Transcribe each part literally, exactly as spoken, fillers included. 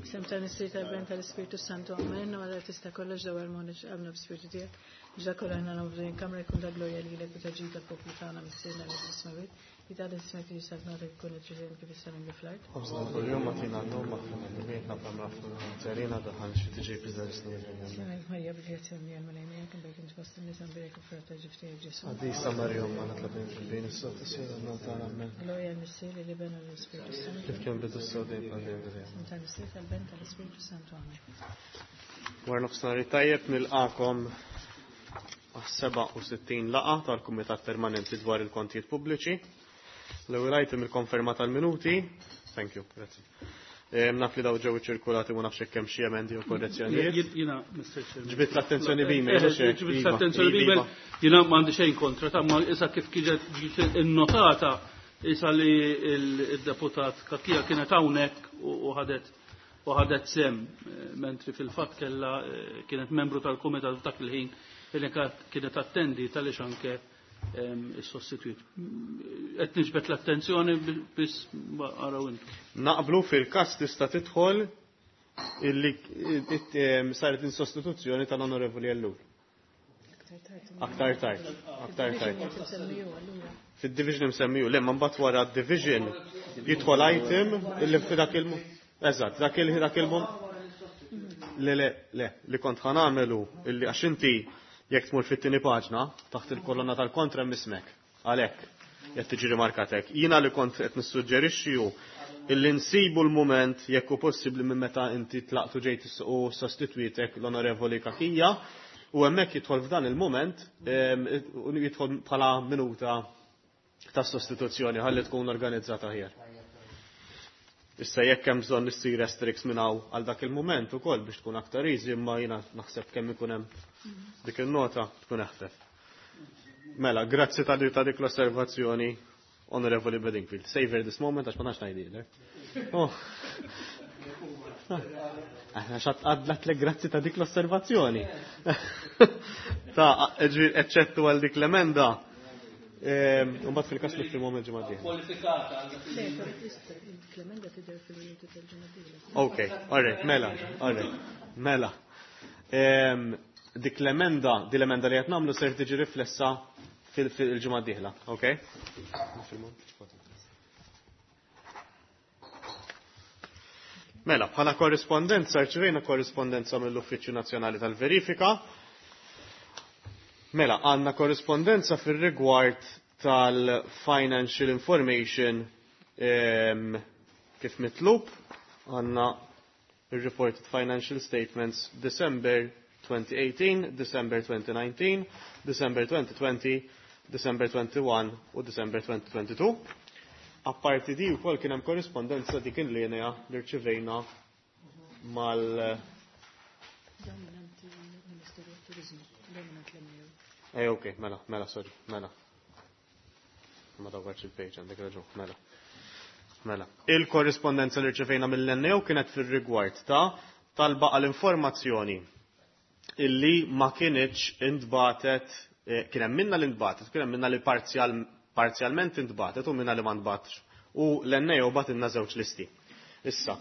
Sem tal-Missier tal-Ben tal-Ispirtu Santu, amen, u għalla tista kollox daw armoniċ għamna b'spirtu tiegħek. Biex dak kollu aħna nagħmlu din kamra jkun ta' glorja lilek u ta' ġid tal-poplu tagħna Missierna li fis-smewwiet. Jitgħadda ismek li jistgħu jkun it-triżen kif issa minn fl-art. Ħobżna kuljum agħtina llum aħfir dnubietna bħalma naħfru lil daħal xi tiġi Semek Marija bil-grazzja mija l-Mulej miegħek imbierek int fost in-nisa mbierek il-frott ta' ġuf tiegħek Ġesù. Qaddisa Marija Ommna tlabin fil-bejn is-sod is-sir tagħna amen. Glorja l-Missier l-Iben u l-Ispirtu Santu. Kif kien bidu s-sod dejjem dejjem dejjem. Sem tal-Missier tal-Ben tal-Ispirtu Santu amen. Wara nofsinhar tajjeb nilqakom għas-seba' u sittin laqgħa tal-Kumitat Permanenti dwar il-Kontijiet Pubbliċi. L-ewwel item il-konferma tal-minuti. Thank you, grazzi. Naf li daw ġew iċirkulati u nafx hekk hemm xi emendi u korrezzjonijiet. Jiena, Mister Chairman. Ġbidt l-attenzjoni b'email, mhux hekk? Ġbidt Iva, l-attenzjoni iva, b'email. iva. Jiena m'għandi xejn kontra, ta' ma issa kif kienet ġiet innotata issa li il-deputat Cachia kienet hawnhekk u ħadet u ħadet sem, mentri fil-fatt kella kienet membru tal-kumitat dak il-ħin illi kienet attendi tal-ix anke is-sostitut. Qed niġbed l-attenzjoni biss araw intu. Naqblu fil-każ tista' tidħol illi saret in-sostituzzjoni tal-Onorevoli Ellul. Aktar tard, aktar tard. Fid-division msemmiju, le, ma mbagħad wara d-division jidħol item illi f'dak il- Eżatt, dak il dak il Le, le, le, li kont ħa nagħmelu illi għax inti jekk tmur fit-tieni paġna taħt il-kolonna tal-kontra mismek. Għalhekk qed tiġi rimarkatek. Jiena li kont qed nissuġġerixxi hu illi nsibu l-mument jekk hu possibbli minn meta inti tlaqtu ġejt u sostitwitek l-Onorevoli Cachia u hemmhekk jidħol f'dan il-mument jidħol bħala minuta ta' sostituzzjoni ħalli tkun organizzata aħjar. Issa jekk hemm bżonn issir restricts minn hawn għal dak il-mument ukoll biex tkun aktar easy, imma jiena naħseb kemm ikun hemm dik in-nota tkun eħfef. Mela, grazzi ta' ta' dik l-osservazzjoni, Onorevoli Bedingfield. Savor this moment għax ma nafx ngħidilek. Oh. Aħna xat għadlatlek grazzi ta' dik l-osservazzjoni. Ta' eċċettu għal dik l-emenda. U mbagħad fil-każ li fil-moment ġimgħa d-dieħla. Kwalifikata. Le, l-emenda tidher fil-minuti tal-ġimgħa d-dieħla. Ok, all right, mela, all right, mela. Dik l-emenda, di l-emenda li qed nagħmlu ser tiġi riflessa fil-ġimgħa d-dieħla, ok? Mela, bħala korrispondenza, rċivejna korrispondenza mill-Uffiċċju Nazzjonali tal-Verifika. Mela, għandna korrispondenza fir-rigward tal-financial information um, kif mitlub, għandna reported financial statements December twenty eighteen, December twenty nineteen, December twenty twenty, December twenty-one u December twenty twenty-two. Apparti di wkoll kien hemm korrispondenza dik il-linja li rċivejna mal Dominanti Ministeru tat-Turiżmu, dominant l-M U. Ej, ok, mela, mela, sorry, mela. Ma dawwarx il-page, għandek raġun, mela. Mela. Il-korrispondenza li rċevejna mill-N A O kienet fir-rigward ta' talba għal-informazzjoni illi ma kienx intbatet, eh, kien hemm minna li ntbatet, kien hemm minna li parzjal, parzjalment intbatet u minna li ma ntbatx. U l-N A O batilna żewġ listi. Issa,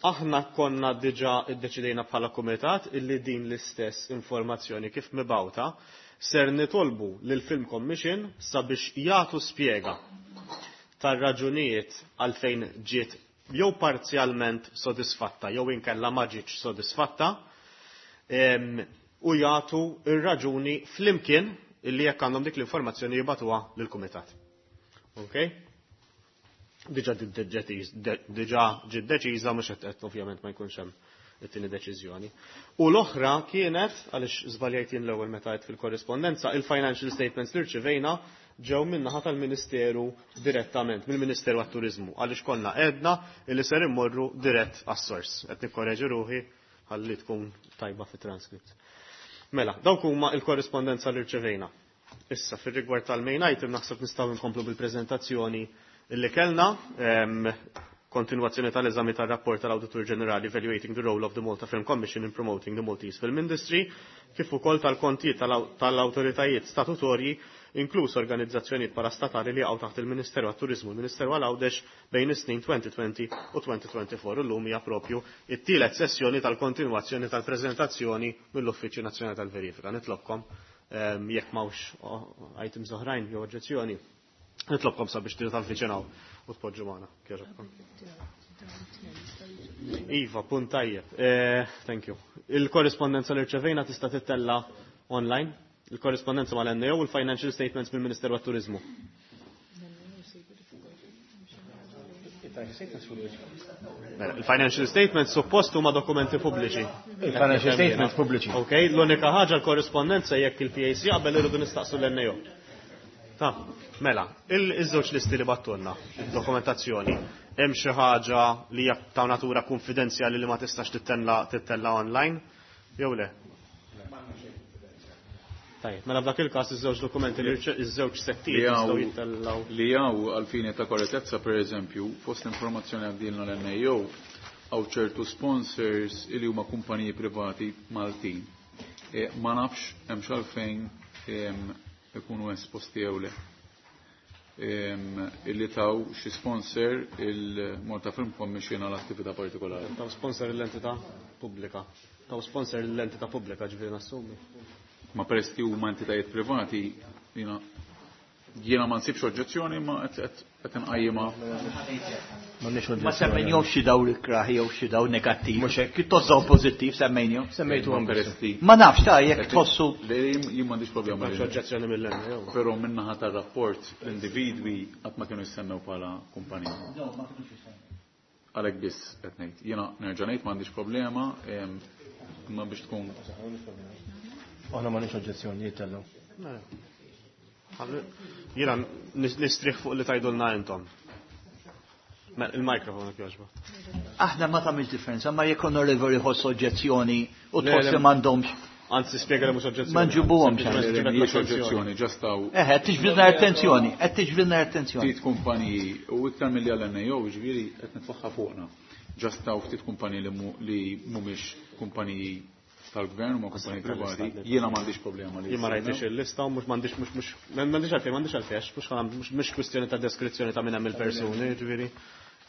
aħna konna diġà iddeċidejna bħala kumitat illi din l-istess informazzjoni kif mibawta ser nitolbu lil Film Commission sabiex jagħtu spjega tar-raġunijiet għalfejn ġiet jew parzjalment sodisfatta jew inkella ma ġietx sodisfatta, em, u jagħtu ir-raġuni flimkien illi jekk għandhom dik l-informazzjoni jibatuha lill-kumitat. Ok? Diġà diġà ġiet deċiża mhux qed ovvjament ma jkunx hemm it-tieni deċiżjoni. U l-oħra kienet, għaliex żbaljajt jien l-ewwel meta għedt fil-korrispondenza, il-financial statements li rċivejna ġew min-naħa tal-Ministeru direttament, mill-Ministeru għat-Turiżmu, għaliex konna għedna li ser immorru dirett għas-sors. Qed nikkoreġi ruħi ħalli tkun tajba fit-transkript. Mela, dawk huma l-korrispondenza li rċevejna. Issa, fir-rigward tal-main item, naħseb nistgħu nkomplu bil-preżentazzjoni illi kellna, em, kontinuazzjoni tal-eżami tar-rapport tal-Awditur Ġenerali Evaluating the Role of the Malta Film Commission in Promoting the Maltese Film Industry, kif ukoll tal-kontijiet tal-awtoritajiet statutorji inkluż organizzazzjonijiet parastatali li jaqgħu taħt il-Ministeru għat-Turiżmu u l-Ministeru għal Għawdex bejn is-snin elfejn u għoxrin u elfejn u erbgħa u għoxrin. Illum hija propju it-tielet sessjoni tal-kontinwazzjoni tal-preżentazzjoni mill-Uffiċċju Nazzjonali tal-Verifika. Nitlobkom jekk m'hawnx items oħrajn jew oġġezzjoni, nitlobkom sabiex tal-viċinaw u tpoġġu magħna. Iva, punt tajjeb. Thank you. Il-korrispondenza li rċevejna tista' tittella online, il-korrispondenza mal-N A O u l-financial statements mill-Ministeru għat-Turiżmu. Il-financial statements suppost huma dokumenti pubbliċi. Il-financial statements pubbliċi. Ok, l-unika ħaġa l-korrispondenza jekk il-P A C qabel irridu nistaqsu l-N A O. Ta, mela, il-żewġ listi li battulna, il-dokumentazzjoni, hemm xi ħaġa li hija ta' natura konfidenzjali li ma tistax tittella tittella online, jew le? Tajjeb, mela f'dak il-każ iż-żewġ dokumenti li iż-żewġ settijiet jistgħu jittellgħu. Li hawn għall-fini ta' korrettezza, pereżempju, fost l-informazzjoni għaddilna l-N A O hawn ċertu sponsors li huma kumpaniji privati Maltin. Ma nafx hemm x'għalfejn ikunu esposti jew le. Illi taw xi sponsor il-Malta Film Commission għal attività partikolari. Taw sponsor l-entità pubblika. Taw sponsor l-entità pubblika, ġifieri nassumi. Ma peress li huma entitajiet privati, jiena jiena ma nsibx oġġezzjoni ma qed qed inqajjimha. Ma semmejnihomx xi daw l-ikraħ jew xi daw negattiv. Mhux hekk. Pjuttost pożittiv semmejnihom. Semmejtuhom peress li Ma nafx ta' jekk tħossu. Le, jien m'għandix problema. M'hemmx oġġezzjoni mill-hemm, jew. Però min-naħa tar-rapport l-individwi qatt ma kienu jissemmew bħala kumpanija. No, ma kinux jissemmew. Għalhekk biss qed ngħid. Jiena nerġa' ngħid m'għandix problema, imma biex tkun. Aħna m'għandniex oġġezzjoni jittellgħu. Jiena nistrieħ fuq li tgħidulna intom. Il-mikrofon jekk jogħġbok. Aħna ma tagħmilx differenza, ma jekk onorevoli jħoss oġġezzjoni u Le, tħoss le, li m'għandhomx. Anzi, spjega li mhux oġġezzjoni. Ma nġibuhomx. Sempliċement Le, ġibed mhijiex l-attenzjoni. oġġezzjoni, ġastaw. Eħe, qed tiġbidna attenzjoni, qed tiġbidna attenzjoni. Ftit kumpaniji u iktar milli għal N A O, ġifieri qed nitfaħħa fuqna. Ġastaw ftit kumpaniji li mu-, li mhumiex kumpaniji tal-gvern u ma kumpaniji privati, jiena m'għandix problema li Jien ma rajtix jissemmew. il-lista u mhux m'għandix, mhux, mhux, m'għandix għalfejn, m'għandix għalfejn, għax mhux ħa-, mhux, mhux kwistjoni ta' deskrizzjoni ta' min hemm il-persuni, ġifieri.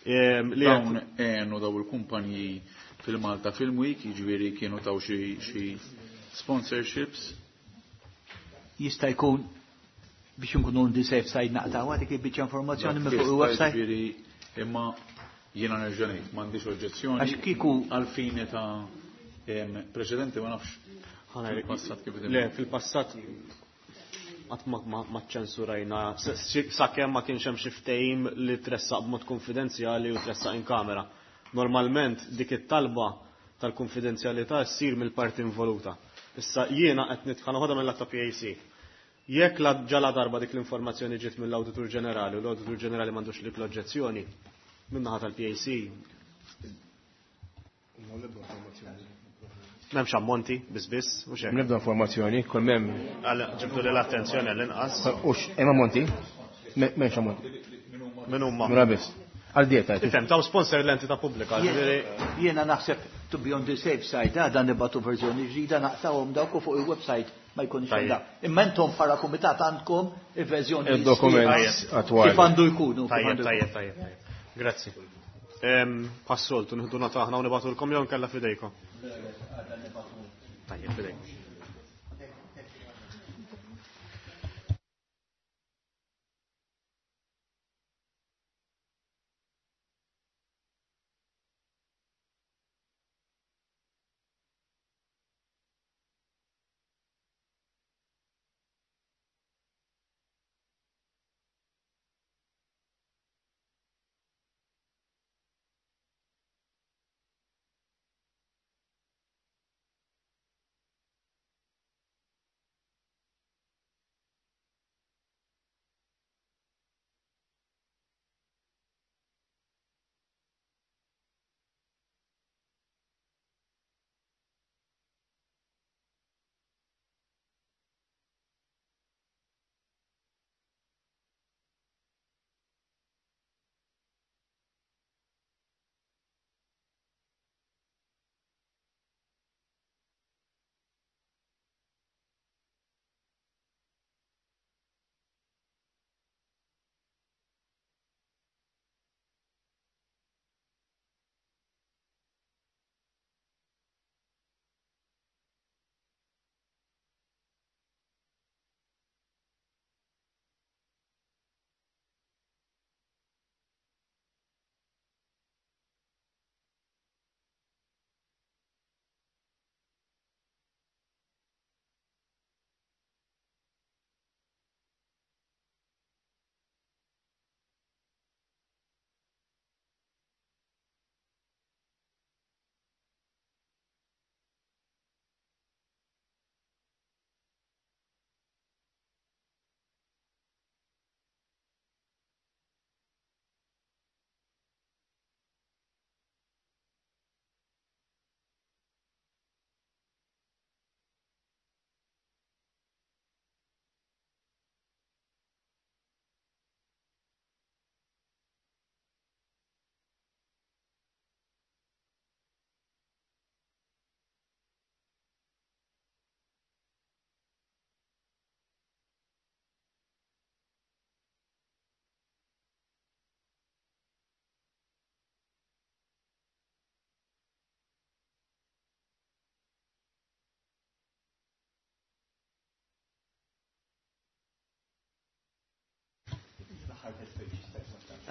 Ehm, li Dawn qed għenu daw il-kumpaniji fil-Malta Film Week, jiġifieri kienu taw xi, xi sponsorships. Jista' jkun biex nkunu on the safe side naqtaw dik il-biċċa informazzjoni minn fuq Jista' il-website. Jiġifieri imma jiena nerġa' ngħid m'għandix oġġezzjoni. Għax kieku għall-fini ta' em, preċedenti ma nafx Ħana fil-passat kif Le, fil-passat qatt ma, ma, ma ċensurajna, sakemm ma kienx hemm xi ftehim li tressaq b'mod konfidenzjali u tressaq in kamera. Normalment dik it-talba tal-konfidenzjalità ssir mill-parti involuta. Issa jiena qed nitħana ħodha mill-att ta' P A C. Jekk la ġala darba dik l-informazzjoni ġiet mill-Awditur Ġenerali u l-Awditur Ġenerali m'għandux dik l-oġġezzjoni, min-naħa tal-P A C m'hemmx ammonti, biss biss, u xejn. Nibda informazzjoni, kull m'hemm. Għal, ġibdu li l-attenzjoni għall-inqas. U hemm ammonti? M'hemmx ammonti. Min huma? Mura biss. Għal dieta, jgħid. Ifhem, taw sponsor l-entità pubblika, Jien- ġifieri Jiena naħseb to be on the safe side, għada nibatu verżjoni ġdida naqtawhom dawk u fuq il-website ma jkunx Tajjeb. hemm da. Imma intom bħala kumitat għandkom il-verżjoni Il-dokument sħiħa. attwali. Kif għandu jkunu, kif Tajjeb, għandu tajjeb, jkunu. tajjeb, tajjeb. Grazzi. Ehm, passoltu, nieħdu nota aħna u nibgħatulkom jew nkella f'idejkom. Tajjeb, f'idejkom.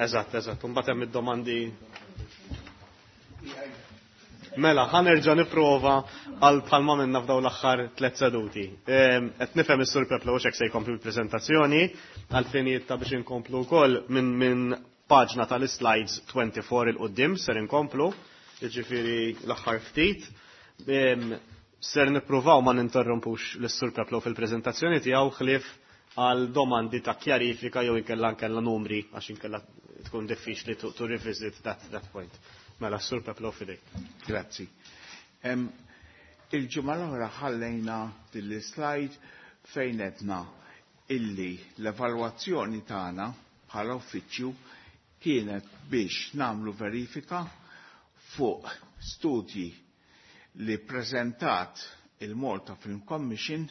Eżatt, eżatt, mbagħad hemm id-domandi. Mela, ħa nerġa' nipprova għal bħalma minna f'daw l-aħħar tliet seduti. Qed nifhem is-Sur Peplo hekk se jkompli l-preżentazzjoni għal finijiet ta' biex inkomplu wkoll minn min paġna tal-slides twenty-four 'il quddiem ser inkomplu, jiġifieri l-aħħar ftit. Ser nippruvaw ma ninterrompux lis-Sur Peplo fil-preżentazzjoni tiegħu ħlief għal domandi ta' kjarifika jew inkella nkella numri, għax inkella tkun diffiċli to, to revisit that, that point. Mela, Sur Peplo, f'idejk. Grazzi. Il-ġimgħa l-oħra ħallejna din slide fejn għedna illi l-evalwazzjoni tagħna bħala uffiċċju kienet biex nagħmlu verifika fuq studji li prezentat il-Malta Film Commission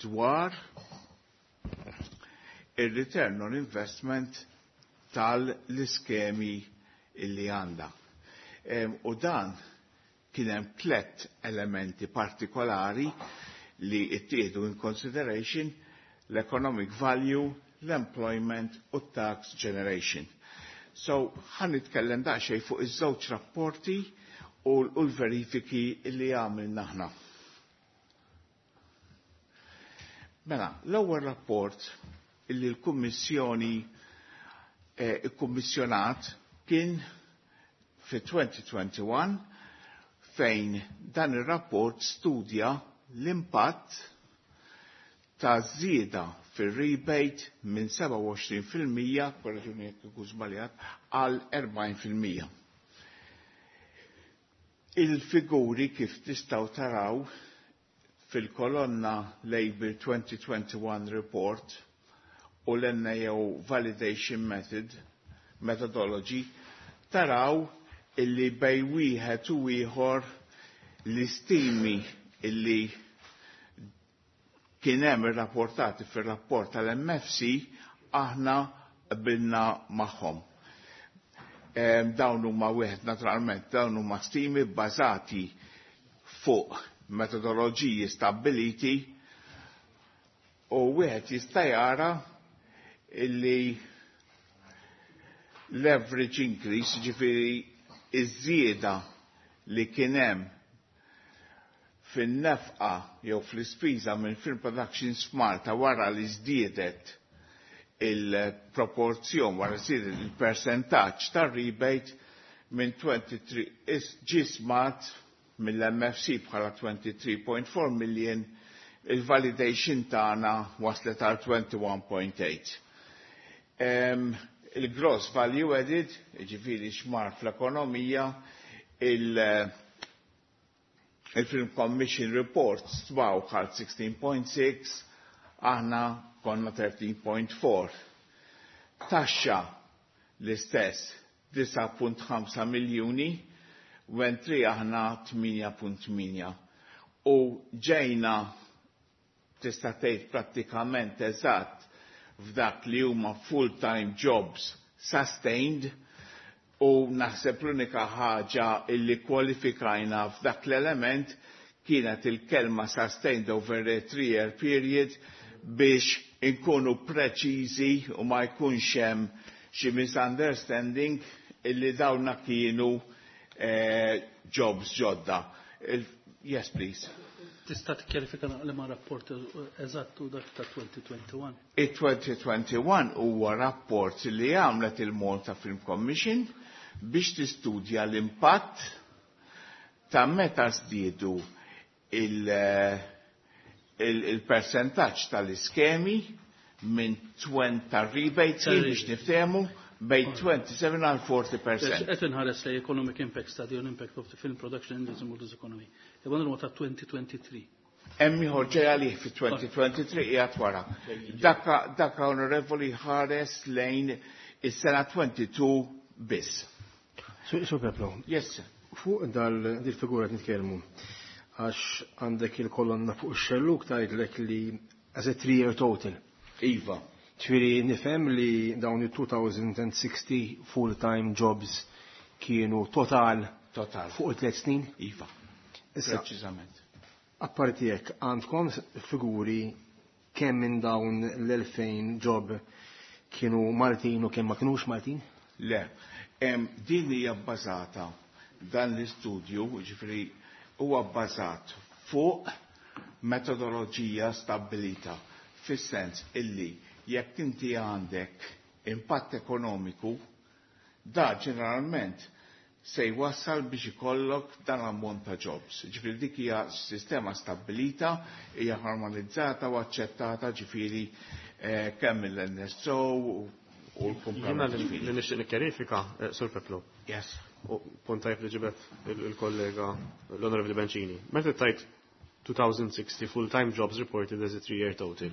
dwar il-return on investment tal-iskemi illi għanda. U dan kien hemm tlet elementi partikolari li ttieħdu in consideration: l-economic value, l-employment u tax generation. So, ħa nitkellem daqsxejn fuq iż-żewġ rapporti u l-verifiki li għamilna aħna. Mela, l-ewwel rapport illi l-Kummissjoni eh, ikkummissjonat kien fi elfejn u wieħed u għoxrin, fejn dan ir-rapport studja l-impatt ta' żieda fir-rebate minn sebgħa u għoxrin fil-mija, korreġuni jekk ikun żbaljat, għal erbgħin fil-mija. Il-figuri, kif tistgħu taraw fil-kolonna Label twenty twenty-one Report u l-N A O Validation Method Methodology, taraw illi bej wieħed u ieħor l-istimi illi kien hemm irrapportati fir-rapport tal-M F C aħna qbilna magħhom. Dawn huma wieħed naturalment dawn huma stimi bbażati fuq metodoloġiji stabbiliti u wieħed jista' jara illi l-average increase, ġifieri iż-żieda li kien hemm fin-nefqa jew fl-ispiża minn Film Productions f'Malta wara li żdiedet il-proporzjon, wara żdiedet il-percentaġġ tar-rebate minn tlieta u għoxrin, ġie stmat mill-M F C bħala tlieta u għoxrin punt erba' million, il-validation tagħna waslet għal wieħed u għoxrin punt tmienja. Il-gross value added, ġifieri x'mar fl-ekonomija, il- il-Film Commission Report stmaw għal sittax punt sitta, aħna konna tlettax punt erbgħa. Taxxa l-istess, disgħa punt ħamsa miljuni, mentri aħna tmienja punt tmienja. U ġejna, tista' tgħid, prattikament eżatt f'dak li huma full-time jobs sustained, u naħseb l-unika ħaġa illi kwalifikajna f'dak l-element kienet il-kelma "sustained over a three-year period" biex inkunu preċiżi u ma jkunx hemm xi misunderstanding illi dawna kienu eh, jobs ġodda. Yes, please. Tista' tikkjarifika li ma rapport eżatt u dak ta' elfejn u wieħed u għoxrin? Il-elfejn u wieħed u għoxrin huwa rapport li għamlet il-Malta Film Commission biex tistudja l-impatt ta' meta żdiedu il-percentaġġ tal-iskemi minn għoxrin tar-rebate, biex niftehmu, bejn sbatax għal erbgħin fil-mija. Qed inħares lej Economic Impact Study on Impact of the Film Production Industry in Malta's Economy. Eban huwa ta' elfejn u tlieta u għoxrin. Hemm ieħor ġej għalih fi elfejn u tlieta u għoxrin, qiegħed wara. Daka daka onorevoli, ħares lejn is-sena tnejn u għoxrin biss. Sur Peplo. Yes. Fuq dal dil-figura nitkellmu, għax għandek il-kolonna fuq ix-xelluk tgħidlek li as a three-year total. Iva. Ġifieri nifhem li dawn il-elfejn u sittin full-time jobs kienu total Total. fuq it-tliet snin? Iva. Issa, Preċiżament. apparti hekk, għandkom figuri kemm minn dawn l-elfejn job kienu Maltin u kemm ma kinux Maltin? Le, em, din hija bbażata dan l-istudju, ġifieri huwa bbażat fuq metodoloġija stabbilita fis-sens illi jekk inti għandek impatt ekonomiku, da ġeneralment se jwassal biex ikollok dan l-ammont ta' jobs. Ġifieri dik hija sistema stabbilita, hija normalizzata u aċċettata ġifieri eh, kemm mill-N S O u Jiena l-kumplament li ġifieri. li nixtieq nikkjarifika, eh, Sur Peplu. Yes. U punt tajb li ġibet il-kollega l-Onorevoli Bencini. Meta tajt two thousand sixty full-time jobs reported as a three-year total,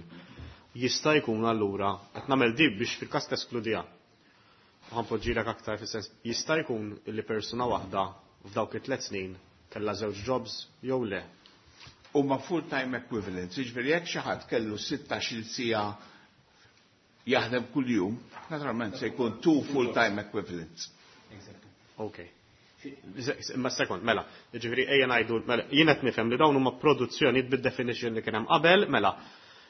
jista' jkun allura, qed nagħmel dib biex fil-każ teskludija. Ħa npoġġilek aktar fis-sens, jista' jkun li persuna waħda f'dawk it-tliet snin kellha żewġ jobs jew le? Huma full-time equivalents, jiġifieri jekk xi ħadd kellu sittax-il siegħa jaħdem kuljum, naturalment se jkun two full-time equivalents. Ok. Imma sekond, mela, ġifieri ejja ngħidu, mela, jien qed nifhem li dawn huma produzzjonijiet bid-definition li kien hemm qabel, mela,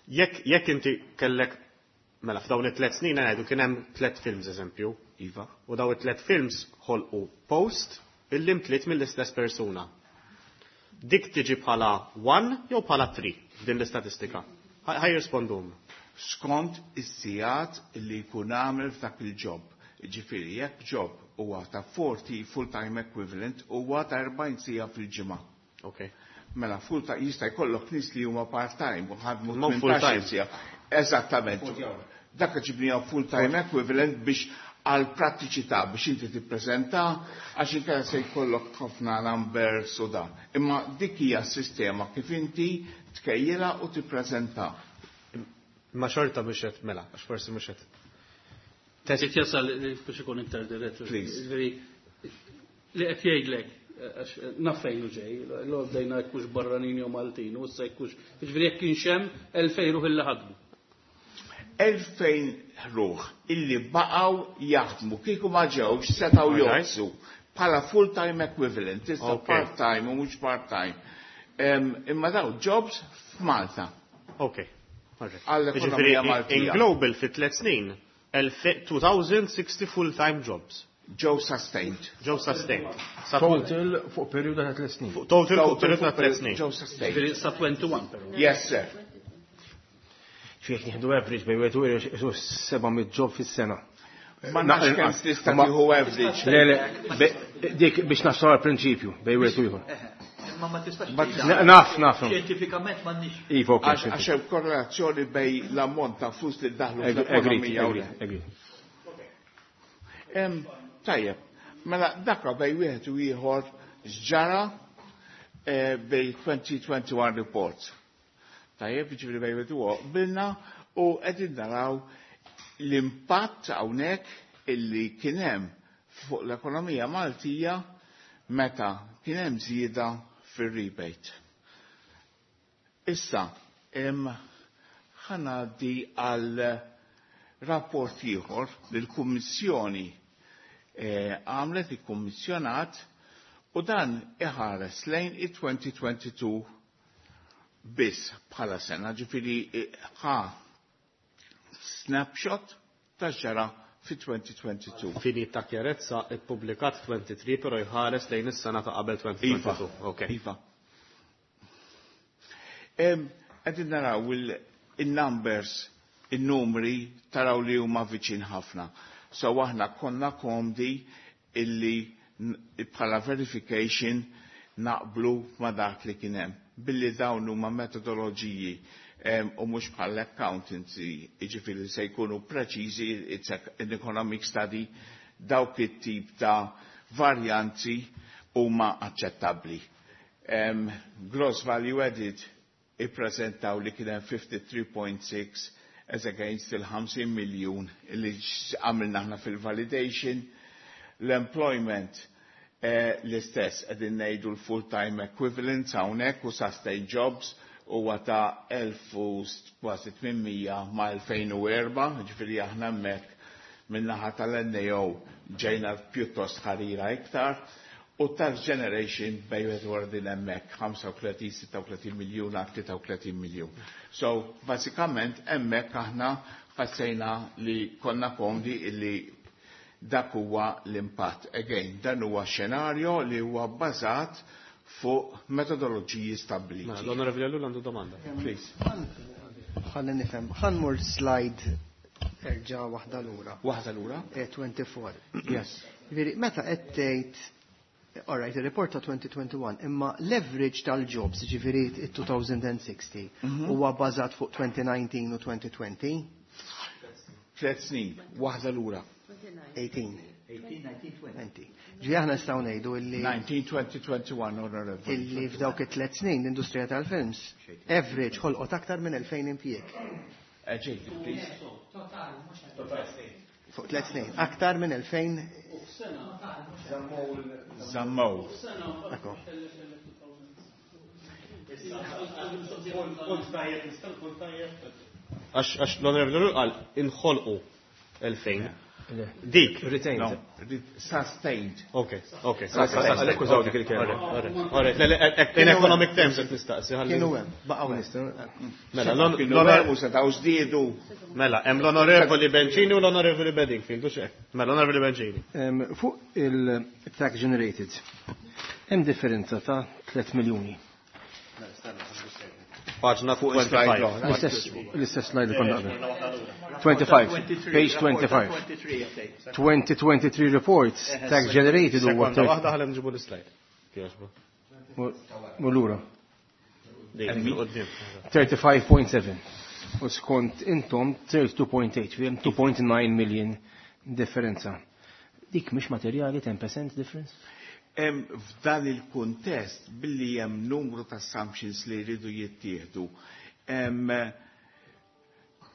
jekk jekk inti kellek, mela, f'dawn it-tliet snin ngħidu kien hemm tliet films, eżempju, Iva. u dawn it-tliet films ħolqu post illi mtliet mill-istess persuna. Dik tiġi bħala one jew bħala three f'din l-istatistika? Ħa jirrispondum. Skont is-sigħat li jkun għamel f'dak il-job. Ġifieri jekk job huwa ta' forty full-time equivalent, huwa ta' erbgħin siegħa fil-ġimgħa. Ok. Mela full-time jista' jkollok nies li huma part-time u ħadmu Ma full-time. tmintax-il siegħa. Eżattament. Dak ġibnija full-time equivalent biex għal prattiċità biex inti tippreżenta, għax inkella se jkollok ħafna numbers u dan. Imma dik hija s-sistema kif inti tkejjela u tippreżenta. Ma xorta mhux qed, mela, għax forsi mhux qed. Test jasal biex ikun iktar dirett. Please. Ġifieri, li qed jgħidlek, għax naf fejn hu ġej, l bdejna jekk hux barranin jew Maltin, u issa jekk hux, ġifieri jekk kienx hemm elfejn ruħ illi ħadmu. Elfejn ruħ illi baqgħu jaħdmu kieku ma ġewx setgħu Alright. joqsu bħala full-time equivalent, issa Okay. part-time u mhux part-time. Em, Imma daw jobs f'Malta. Ok. Alright. Għall-ekonomija Ġifieri, in Maltija. global fi tliet snin, two thousand sixty full-time jobs. Ġew sustained. Ġew sustained. Sa- Total fuq periodu ta' tliet snin. Total fuq periodu ta' tliet snin. Ġew sustained. Ġifieri sa wieħed u għoxrin però. Yes, sir. Jekk nieħdu average bejn wieħed u ieħor seba' mitt job fis-sena. Ma nafx kemm tista' tieħu average. Le, le, be- dik biex naslu għal prinċipju bejn wieħed u ieħor. Imma ma tistax Ma tgħidha. Naf, naf. Xjentifikament m'għandniex. Iva, ok. Għax għax hemm korrelazzjoni bejn l-ammont ta' flus li daħlu Agreed, fl-ekonomija u agreed, agreed. Em, Tajjeb, mela dakka bejn wieħed u ieħor x'ġara eh, bejn twenty twenty-one report. Tajjeb, ġifieri bejn wieħed u ieħor qbilna u qegħdin naraw l-impatt hawnhekk illi kien hemm fuq l-ekonomija Maltija meta kien hemm żieda fir-rebate. Issa, em, ħa ngħaddi għal rapport ieħor li l-Kummissjoni eh, għamlet, ikkummissjonat, u dan iħares lejn it-twenty twenty-two biss bħala sena, ġifieri eh, ħa snapshot ta' ġara fi twenty twenty-two. Fini ta' kjarezza, ippubblikat twenty-three, pero jħares lejn is-sena ta' qabel Iva. twenty twenty-two. Ok. Iva. Em, Qegħdin naraw il- il-numbers, il-numri, taraw li huma viċin ħafna. So aħna konna komdi illi n- bħala verification naqblu ma dak li kien hemm. Billi dawn huma metodoloġiji em, u mhux bħal accountancy, jiġifieri se jkunu preċiżi, it's an economic study, dawk it-tip ta' varjanzi huma aċċettabbli. Um, gross value added ippreżentaw li kien hemm fifty-three point six as against il-fifty miljun li għamilna aħna fil-validation. L-employment eh, l-istess, qegħdin ngħidu l-full-time equivalents hawnhekk u sustain jobs huwa ta' elf u kważi tmien mija ma' elfejn u erbgħa, ġifieri aħna hemmhekk min-naħa tal-N A O ġejna pjuttost ħarira iktar. U tax generation bejn wieħed din hemmhekk ħamsa u tletin, sitta u tletin miljun għal tlieta u tletin miljun. So, basikament hemmhekk aħna ħassejna li konna komdi illi Dak huwa l-impatt. Again, dan huwa xenarju li huwa bbażat fuq metodoloġiji stabbiliti. Mela, l-Onorevoli Ellul għandu domanda. Please. Ħalli nifhem, ħa mmur slide erġa' waħda lura. Waħda lura? twenty-four. Yes. Veri, meta qed tgħid, all right, il-report ta' twenty twenty-one, imma l-average tal-jobs, ġifieri it-two thousand sixty, huwa bbażat fuq twenty nineteen u twenty twenty? Tliet snin, waħda lura. eighteen. twenty. Ġi aħna nistgħu ngħidu illi nineteen, twenty, twenty-one, Honorable. Illi f'dawk it-tliet snin l-industrija tal-films average ħolqot aktar minn elfejn impjieg. Eh, Jacob, please. Fuq tliet snin, aktar minn elfejn. Zammow. Ekko. Punt tajjeb, nista' punt tajjeb. Għax għax l-Onorevoli Ellul qal inħolqu elfejn. Dik. Retained. No, sustained. Ok, ok. Għalhekk użaw dik il-kelma. Alright, le, le, in economic terms qed nistaqsi. ħalli- Kienu hemm, baqgħu hemm. Mela, l-on- Kienu l-onor- hemm u setgħu żdiedu. Mela, hemm l-Onorevoli Bencini u l-Onorevoli Bedingfield, u xek. Mela, l-Onorevoli Bencini. Em, Fuq il-tax generated, hemm differenza ta' tliet miljuni. Paġna Fuq slide twenty-five. l-oħra. L-istess l-istess slide li konna qabel. twenty-five, page twenty-five. twenty twenty-three reports, tax generated huwa Sekonda waħda ħalli nġibu l-slide. Kieġbu. Lura. Dik, il-qoddim. thirty-five point seven. U skont intom thirty-two point eight, hemm two point nine million differenza. Dik mhix materjali, ten percent difference? Em, F'dan il-kuntest, billi hemm numru ta' assumptions li jridu jittieħdu, em,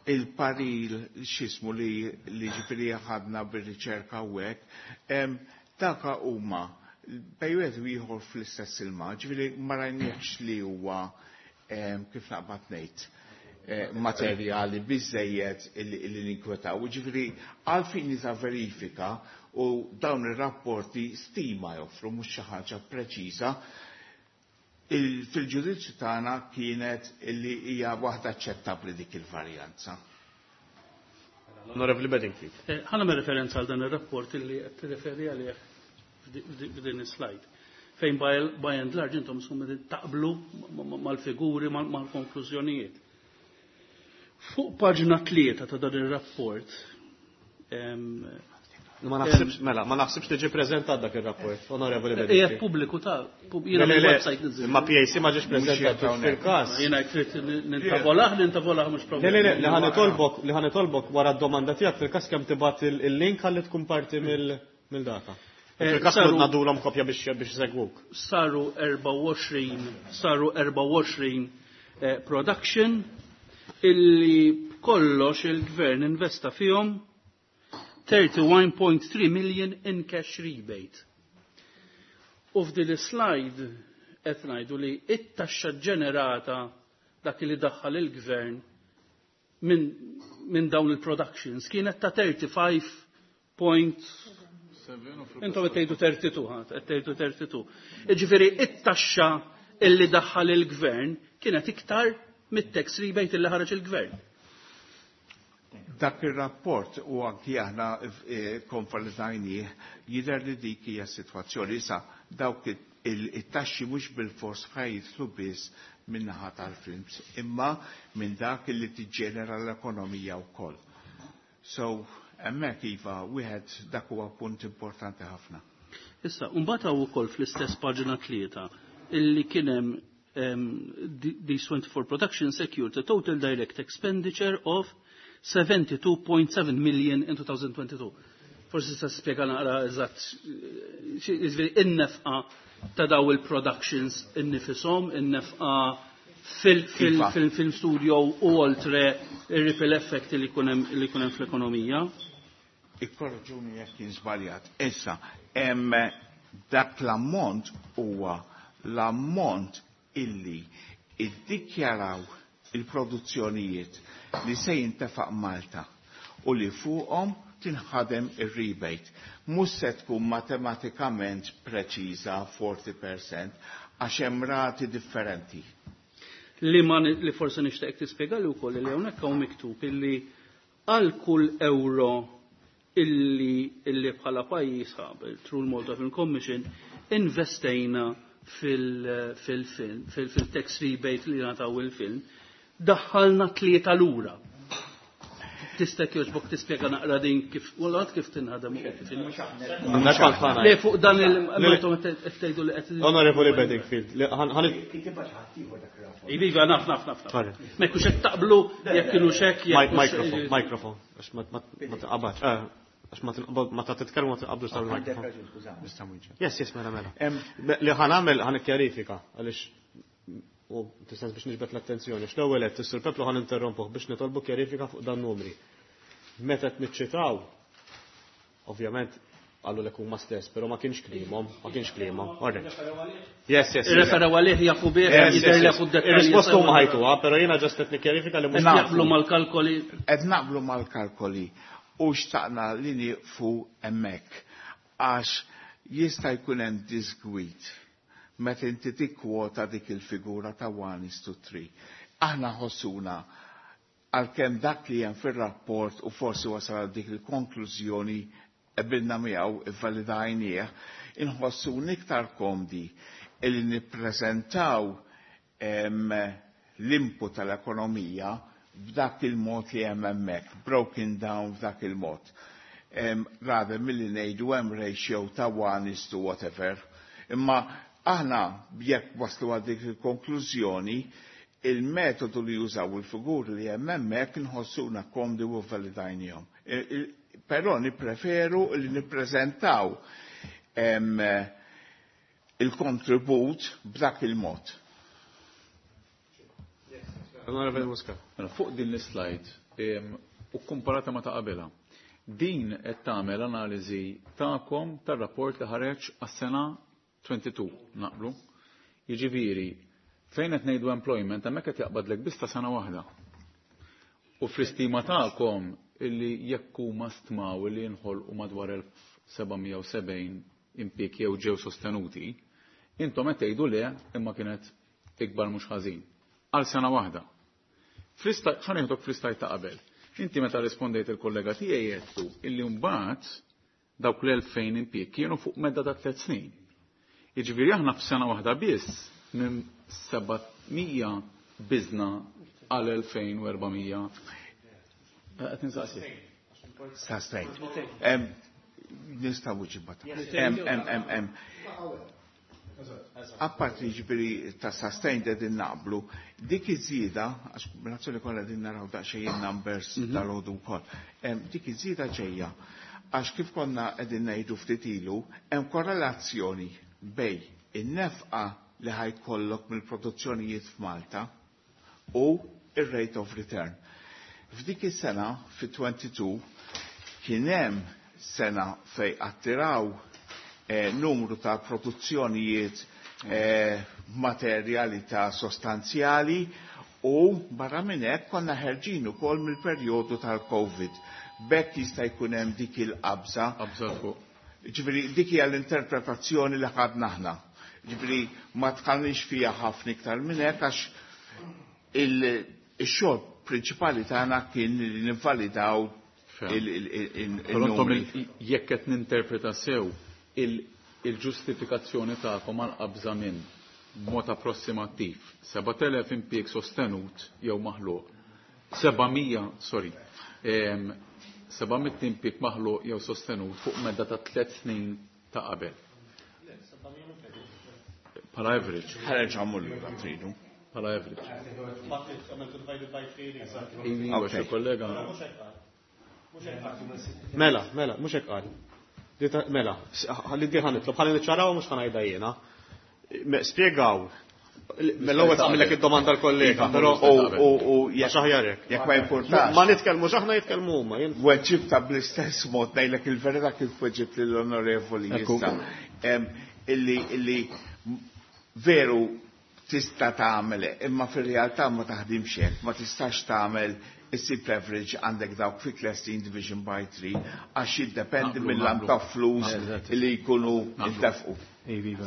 il-parir x'jismu li li ġifieri ħadna bir-riċerka u hekk, em, daka huma bejn wieħed u ieħor fl-istess ilma, ġifieri ma rajniex li huwa em, kif naqbad ngħid, eh, materjali biżejjed illi illi ninkwetaw. Ġifieri għal fini ta' verifika u dawn ir-rapporti stima joffru, mhux xi ħaġa preċiża. Il- Fil-ġudizzju tagħna kienet illi hija waħda aċċettabbli dik il-varjanza. L-Onorevoli Bedingfield. Eh, Ħa nagħmel referenza għal dan ir-rapport illi qed tirreferi għalih f'di- f'din is-slide. Fejn by by and large intom summa taqblu ma- ma- mal-figuri, mal- mal-konklużjonijiet. Fuq paġna tlieta ta' dan ir-rapport em, Ma naħsibx, mela, ma naħsibx li ġie preżentat dak ir-rapport, Onorevoli Qiegħed Bedingfield. pubbliku ta' pub- Le, jiena le, le, mill-website niżżil. Ma P A C ma ġiex preżentat hawnhekk. fil-każ. Jiena trid nintavolah, nintavolah mhux Le, problema. le, le, li ħa nitolbok, li ħa nitolbok wara d-domanda tiegħek fil-każ kemm tibgħat il- il-link ħalli tkun parti mill- mill-data. Eh, Fil-każ saru- ngħaddulhom kopja biex biex segwuk. Saru erbgħa u għoxrin, saru erbgħa u għoxrin eh, production illi kollox il-gvern investa fihom thirty-one point three million in cash rebate. U f'din is-slide qed ngħidu li it-taxxa ġenerata, dak li daħħal il-gvern minn min dawn il-productions, kienet ta' thirty-five point. Intom qed tgħidu tlieta u tletin, ħa, qed tgħidu tlieta u tletin. Jiġifieri it-taxxa illi daħħal il-gvern kienet iktar mit-tax rebate illi ħareġ il-gvern. Dak ir-rapport u anki aħna eh, konvalidajnieh, jidher li dik hija s-sitwazzjoni. Issa dawk il-taxxi mhux bil-fors ħa jidħlu biss min-naħa tal-films, imma minn dak li tiġġenera l-ekonomija wkoll. So, hemmhekk iva, wieħed dak huwa punt importanti ħafna. Issa, mbagħad hawn ukoll fl-istess paġna tlieta illi kien hemm um, these twenty-four production secured a total direct expenditure of seventy-two point seven million in twenty twenty-two. Forsi sa spjega naqra eżatt, jiġifieri in-nefqa ta' daw il-productions innifisom, in-nefqa Iva. fil-film studio u oltre il-ripple effect li jkun hemm li jkun hemm fl-ekonomija. Ikkorreġuni jekk jien żbaljat. Issa, hemm dak l-ammont huwa l-ammont illi iddikjaraw il-produzzjonijiet li se jintefaq Malta u li fuqhom tinħadem ir-rebate. Mhux se tkun matematikament preċiża forty percent għax hemm rati differenti. Li ma li forse nixtieq tispjega li wkoll li hawnhekk hawn miktub illi għal kull euro illi illi bħala pajjiż through l-Malta Film Commission investejna fil-film, fil-tax rebate li nataw il-film, daħħalna tlieta lura. Tista' jogħġbok tispjega naqra din kif u kif tinħadem u kif Le fuq dan il tgħidu li qed Onorevoli Bedingfield, Iva, naf, naf, naf. Ma jkunx qed taqblu jekk kienu xek. Microphone, microphone, għax ma taqbax. Għax ma ta' titkellmu ma taqblu sal-microphone. Yes, yes, mela, mela. Li ħa nagħmel ħa nikkjarifika għaliex u tistens biex niġbed l-attenzjoni. X'l-ewwel qed is-Sur Peplu ħa ninterrompuh biex nitolbu kjarifika fuq dan numri. Meta qed niċċitaw, ovvjament għallu l huma stess, pero ma kienx kliemhom, ma kienx kliemhom. Yes, yes. Referaw għalih jafu bih, jidher li jafu d Ir-risposta huma ħajtuha, pero jiena just qed nikkjarifika li mhux naqblu mal-kalkoli. Qed naqblu mal-kalkoli u xtaqna li nieqfu hemmhekk għax jista' jkun hemm disgwit meta inti tikkwota dik il-figura ta' one is to three. Aħna ħossuna għalkemm dak li hemm fir-rapport u forsi wasal għal dik il-konklużjoni qbilna miegħu ivvalidajnieh, inħossu iktar komdi li nippreżentaw l-input tal-ekonomija b'dak il-mod li hemm hemmhekk, broken down b'dak il-mod. Rather milli ngħidu hemm ratio ta' one is to whatever. Imma aħna jekk waslu għal dik il-konklużjoni, il-metodu li jużaw il-figuri li hemm hemmhekk inħossuna komdi u validajnihom. Però nippreferu li nippreżentaw il-kontribut b'dak il-mod. Onorevole Muscat. Mela, fuq din l-slide u komparata ma ta' qabelha, din qed tagħmel analiżi tagħkom tar-rapport li ħareġ għas-sena tnejn u għoxrin, naqblu. Jiġifieri, fejn qed ngħidu employment hemmhekk qed jaqbadlek biss ta' sena waħda. U fl-istima tagħkom illi jekk huma stmaw illi jinħolqu madwar elf seba' mija u sebgħin impjieg jew ġew sostenuti, intom qed tgħidu le imma kienet ikbar mhux ħażin. Għal sena waħda. Ħa nieħdok fl-istajt ta' qabel. Inti meta rispondejt il-kollega tiegħi għedtu illi mbagħad dawk l-elfejn impjieg kienu fuq medda ta' tliet snin. Jiġifieri aħna f'sena waħda biss minn seba' mija biżna għal elfejn u erba' mija. Qed nistaqsi. Sa straight. Em, nistgħu ġibata. Em, em, em, em. Apparti ġifieri ta' sustained qegħdin naqblu, dik iż-żieda, għax kombinazzjoni kollha qegħdin naraw daqsxejn numbers tal-għodu wkoll. Em, dik iż-żieda ġejja għax kif konna qegħdin ngħidu ftit ilu, hemm korrelazzjoni bej in-nefqa li ħajkollok mill-produzzjonijiet f'Malta u ir-rate of return. F'dik is-sena, fi twenty-two, kien hemm sena fej attiraw, eh, numru ta' produzzjonijiet, eh, materjalità sostanzjali u barra minn hekk konna ħerġin ukoll mill-perjodu tal-Covid. B'hekk jista' jkun hemm dik il-qabża. Qabża fuq. Ġifieri dik hija l-interpretazzjoni li ħadna aħna. Ġifieri ma tħallniex fiha ħafna iktar minn hekk għax il-, ix-xogħol prinċipali tagħna kien li nivvalidaw Fem. il-, il-, il-, il-, Però intom il-numri. il-, jekk qed ninterpreta sew il-, il-ġustifikazzjoni tagħkom għal qabża minn mod approssimattiv seba' telef impjieg sostenut jew maħluq, seba' mija, sorry, em, seba' mitt impjieg maħluq jew sostenut fuq medda ta' tliet snin ta' qabel. Bħala average. Ħareġ għamlu lura tridu. Bħala average. Iva, Okay. xi kollega. Mela, mela, mhux hekk qal. Di ta-, mela, s-, ħalli di ħa nitlob, ħalli niċċaraw mhux ħa ngħidha jiena. Me-, spjegaw. Mela l-ewwel tagħmilek id-domanda l-kollega, Iva, però u, u, u, għax aħjar hekk. Jekk ma jimpurtax. Ma nitkellmux aħna jitkellmu huma, jien. Weġibta bl-istess mod ngħidlek il-verità kif weġibt lill-onorevoli Ekku. issa. Em, illi, illi veru tista' tagħmel, imma fir-realtà ma taħdimx hekk, ma tistax tagħmel issib leverage għandek dawk fi Clandestine division by three għax jiddependi Naqblu, mill-lam naqblu. ta' flus Eżatt. li jkunu Naqblu. intefqu.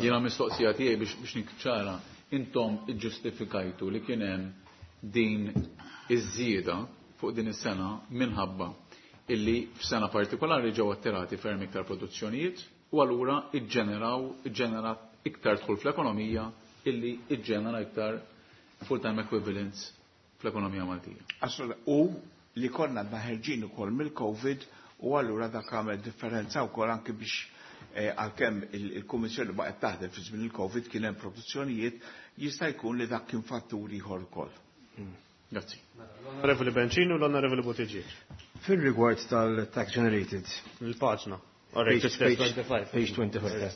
Jiena mistoqsija tiegħi biex, biex nikċara, intom iġġustifikajtu li kien hemm din iż-żieda fuq din is-sena minħabba illi f'sena partikolari ġew attirati ferm iktar produzzjonijiet u allura iġġeneraw iġġenerat iktar dħul fl-ekonomija illi iġġenera iktar full-time equivalents fl-ekonomija Maltija. Assolut, u li konna ħerġin ukoll mill-Covid u allura dak għamel differenza wkoll anke biex eh, għalkemm il-Kummissjoni baqgħet taħdem fi żmien il-Covid kien hemm produzzjonijiet, jista' jkun li dak kien fattur ieħor ukoll. Grazzi. L-Onorevoli Bencini u l-Onorevoli Buttigieg. Fil-rigward tal-tax generated. Il-paġna. Page, page, page twenty-five.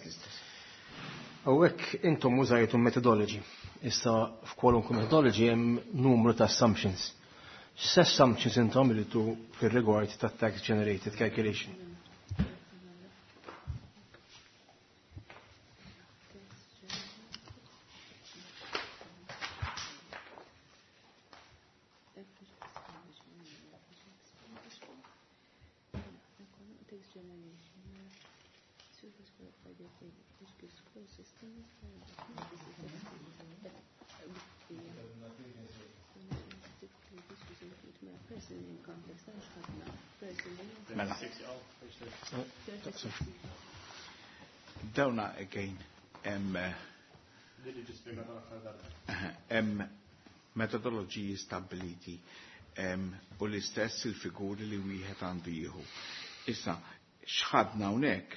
Hawnhekk intom użajtu methodology. Issa f'kwalunkwe methodology hemm numru ta' assumptions. X'assumptions intom iridu fir-rigward tat-tax generated calculation? Mela. Dawna again hemm hemm metodoloġiji stabbiliti u l-istess il-figuri li wieħed għandu jieħu. Issa, x'ħadna hawnhekk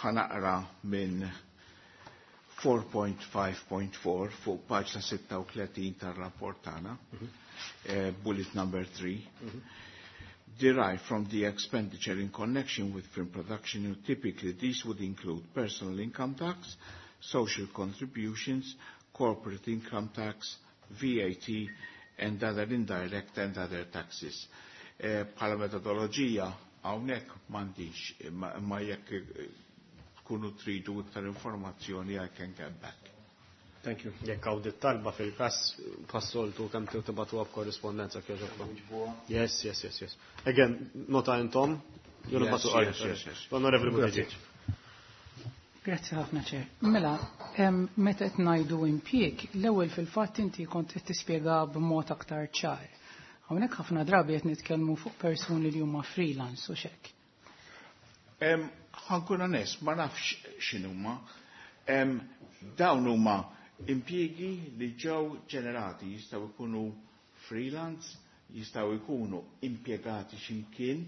ħanaqra minn four point five point four fuq paġna sitta u tletin tar-rapport tagħna, bullet number three. Derived from the expenditure in connection with film production, and typically these would include personal income tax, social contributions, corporate income tax, V A T, and other indirect and other taxes. Bħala metodoloġija hawnhekk m'għandix, imma jekk tkunu tridu iktar informazzjoni I can get back. Thank you. Jekk hawn dit-talba fil-każ passoltu kemm tibatuha b'korrispondenza kieġobkom. Yes, yes, yes, yes. Again, nota intom, jew nibatu Yes, yes, yes. Onorevoli Buttigieg. Grazzi ħafna ċer. Mela, meta qed ngħidu impjieg, l-ewwel fil-fatt inti kont qed tispjega b'mod aktar ċar. Hawnhekk ħafna drabi qed nitkellmu fuq persuni li huma freelance u xek. Ħankun onest, ma nafx x'inhuma. Dawn huma impjiegi li ġew ġenerati, jistgħu jkunu freelance, jistgħu jkunu impjegati x'imkien,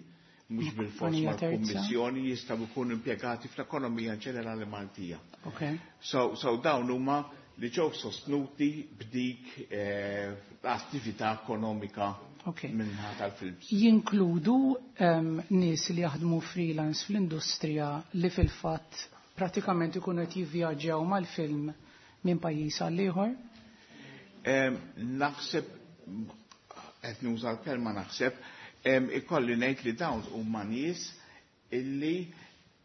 mhux bil-fors Kumpanija terza. mal-kummissjoni, jistgħu jkunu impjegati fl-ekonomija ġenerali Maltija. Okay. So, so dawn huma li ġew sostnuti b'dik eh, l-attività ekonomika Okay. minnha tal-films. Jinkludu um, nies li jaħdmu freelance fl-industrija li fil-fatt pratikament ikunu qed jivvjaġġjaw mal-film minn pajjiż għal ieħor? Naħseb, qed nuża l-kelma naħseb, em, ikolli ngħid li dawn huma nies illi,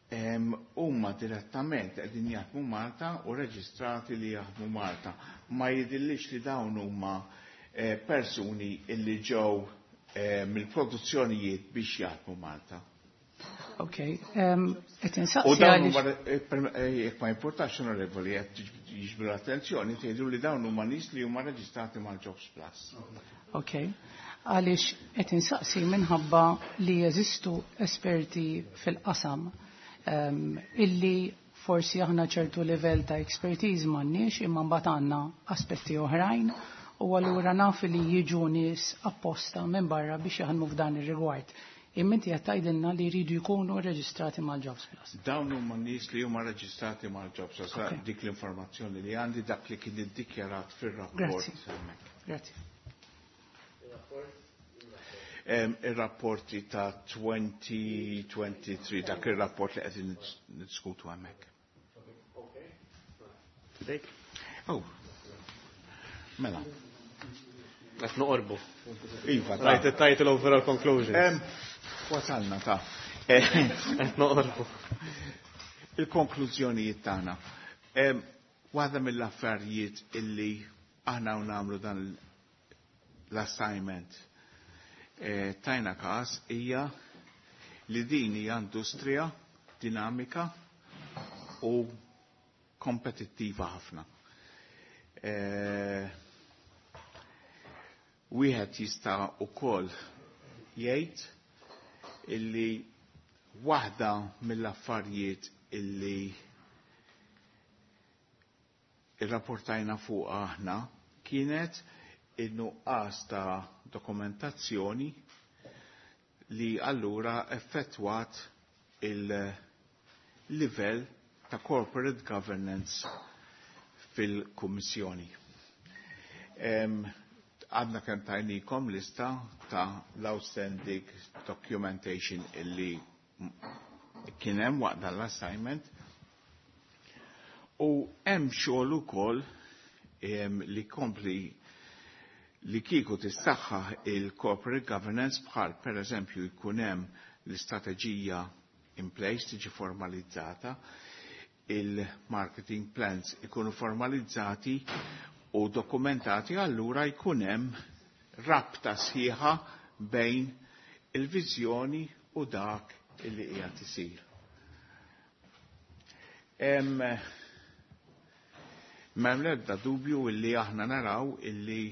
em, huma direttament qegħdin jaħdmu Malta u reġistrati li jaħdmu Malta. Ma jidhirlix li dawn huma, eh, persuni illi ġew, eh, mill-produzzjonijiet biex jaħdmu Malta. Ok, em, qed insaqsi U dawn għaliex huma, eh, per-, eh, jekk ma importax, onorevoli, qed jiġbdu l-attenzjoni, tgħidu li dawn huma nies li huma reġistrati mal-Jobs Plus. Ok, għaliex qed insaqsi minħabba li jeżistu esperti fil-qasam, em, illi forsi aħna ċertu livell ta' expertise m'għandniex imma mbagħad għandna aspetti oħrajn u allura naf li jiġu nies apposta minn barra biex jaħdmu f'dan ir-rigward. Imma inti qed tgħidilna li jridu jkunu reġistrati mal-Jobs Plus. Dawn huma nies li huma reġistrati mal-Jobs Plus, Ok. dik l-informazzjoni li għandi, dak li kien iddikjarat fir-rapport. Grazzi. Hemmhekk. Grazzi. Em, ir-rapporti ta' twenty twenty-three, dak ir-rapport li qegħdin niddiskutu hemmhekk. Dik? Oh. Mela. Qed noqorbu. Iva, ta' Rajt it-title overall conclusions. Em, wasalna ta' Qed noqorbu. Il-konklużjonijiet tagħna. Em, waħda mill-affarijiet illi aħna u nagħmlu dan l-assignment, eh, tajna każ hija li din hija industrija dinamika u kompetittiva ħafna. Eh, wieħed jista' ukoll jgħid illi waħda mill-affarijiet illi irrapportajna fuq aħna kienet in-nuqqas ta' dokumentazzjoni li allura effettwat il-livell ta' corporate governance fil-Kummissjoni. Għadna kemm tajnikom lista ta' l-outstanding documentation illi kien hemm waqt dan l-assignment u hemm xogħol ukoll li kompli li kieku tissaħħaħ il-corporate governance bħal per eżempju jkun hemm l-istrateġija in place tiġi formalizzata, il-marketing plans ikunu formalizzati u dokumentati, allura jkun hemm rabta sħiħa bejn il-viżjoni u dak illi qiegħed isir. M'hemm l-ebda dubju illi aħna naraw illi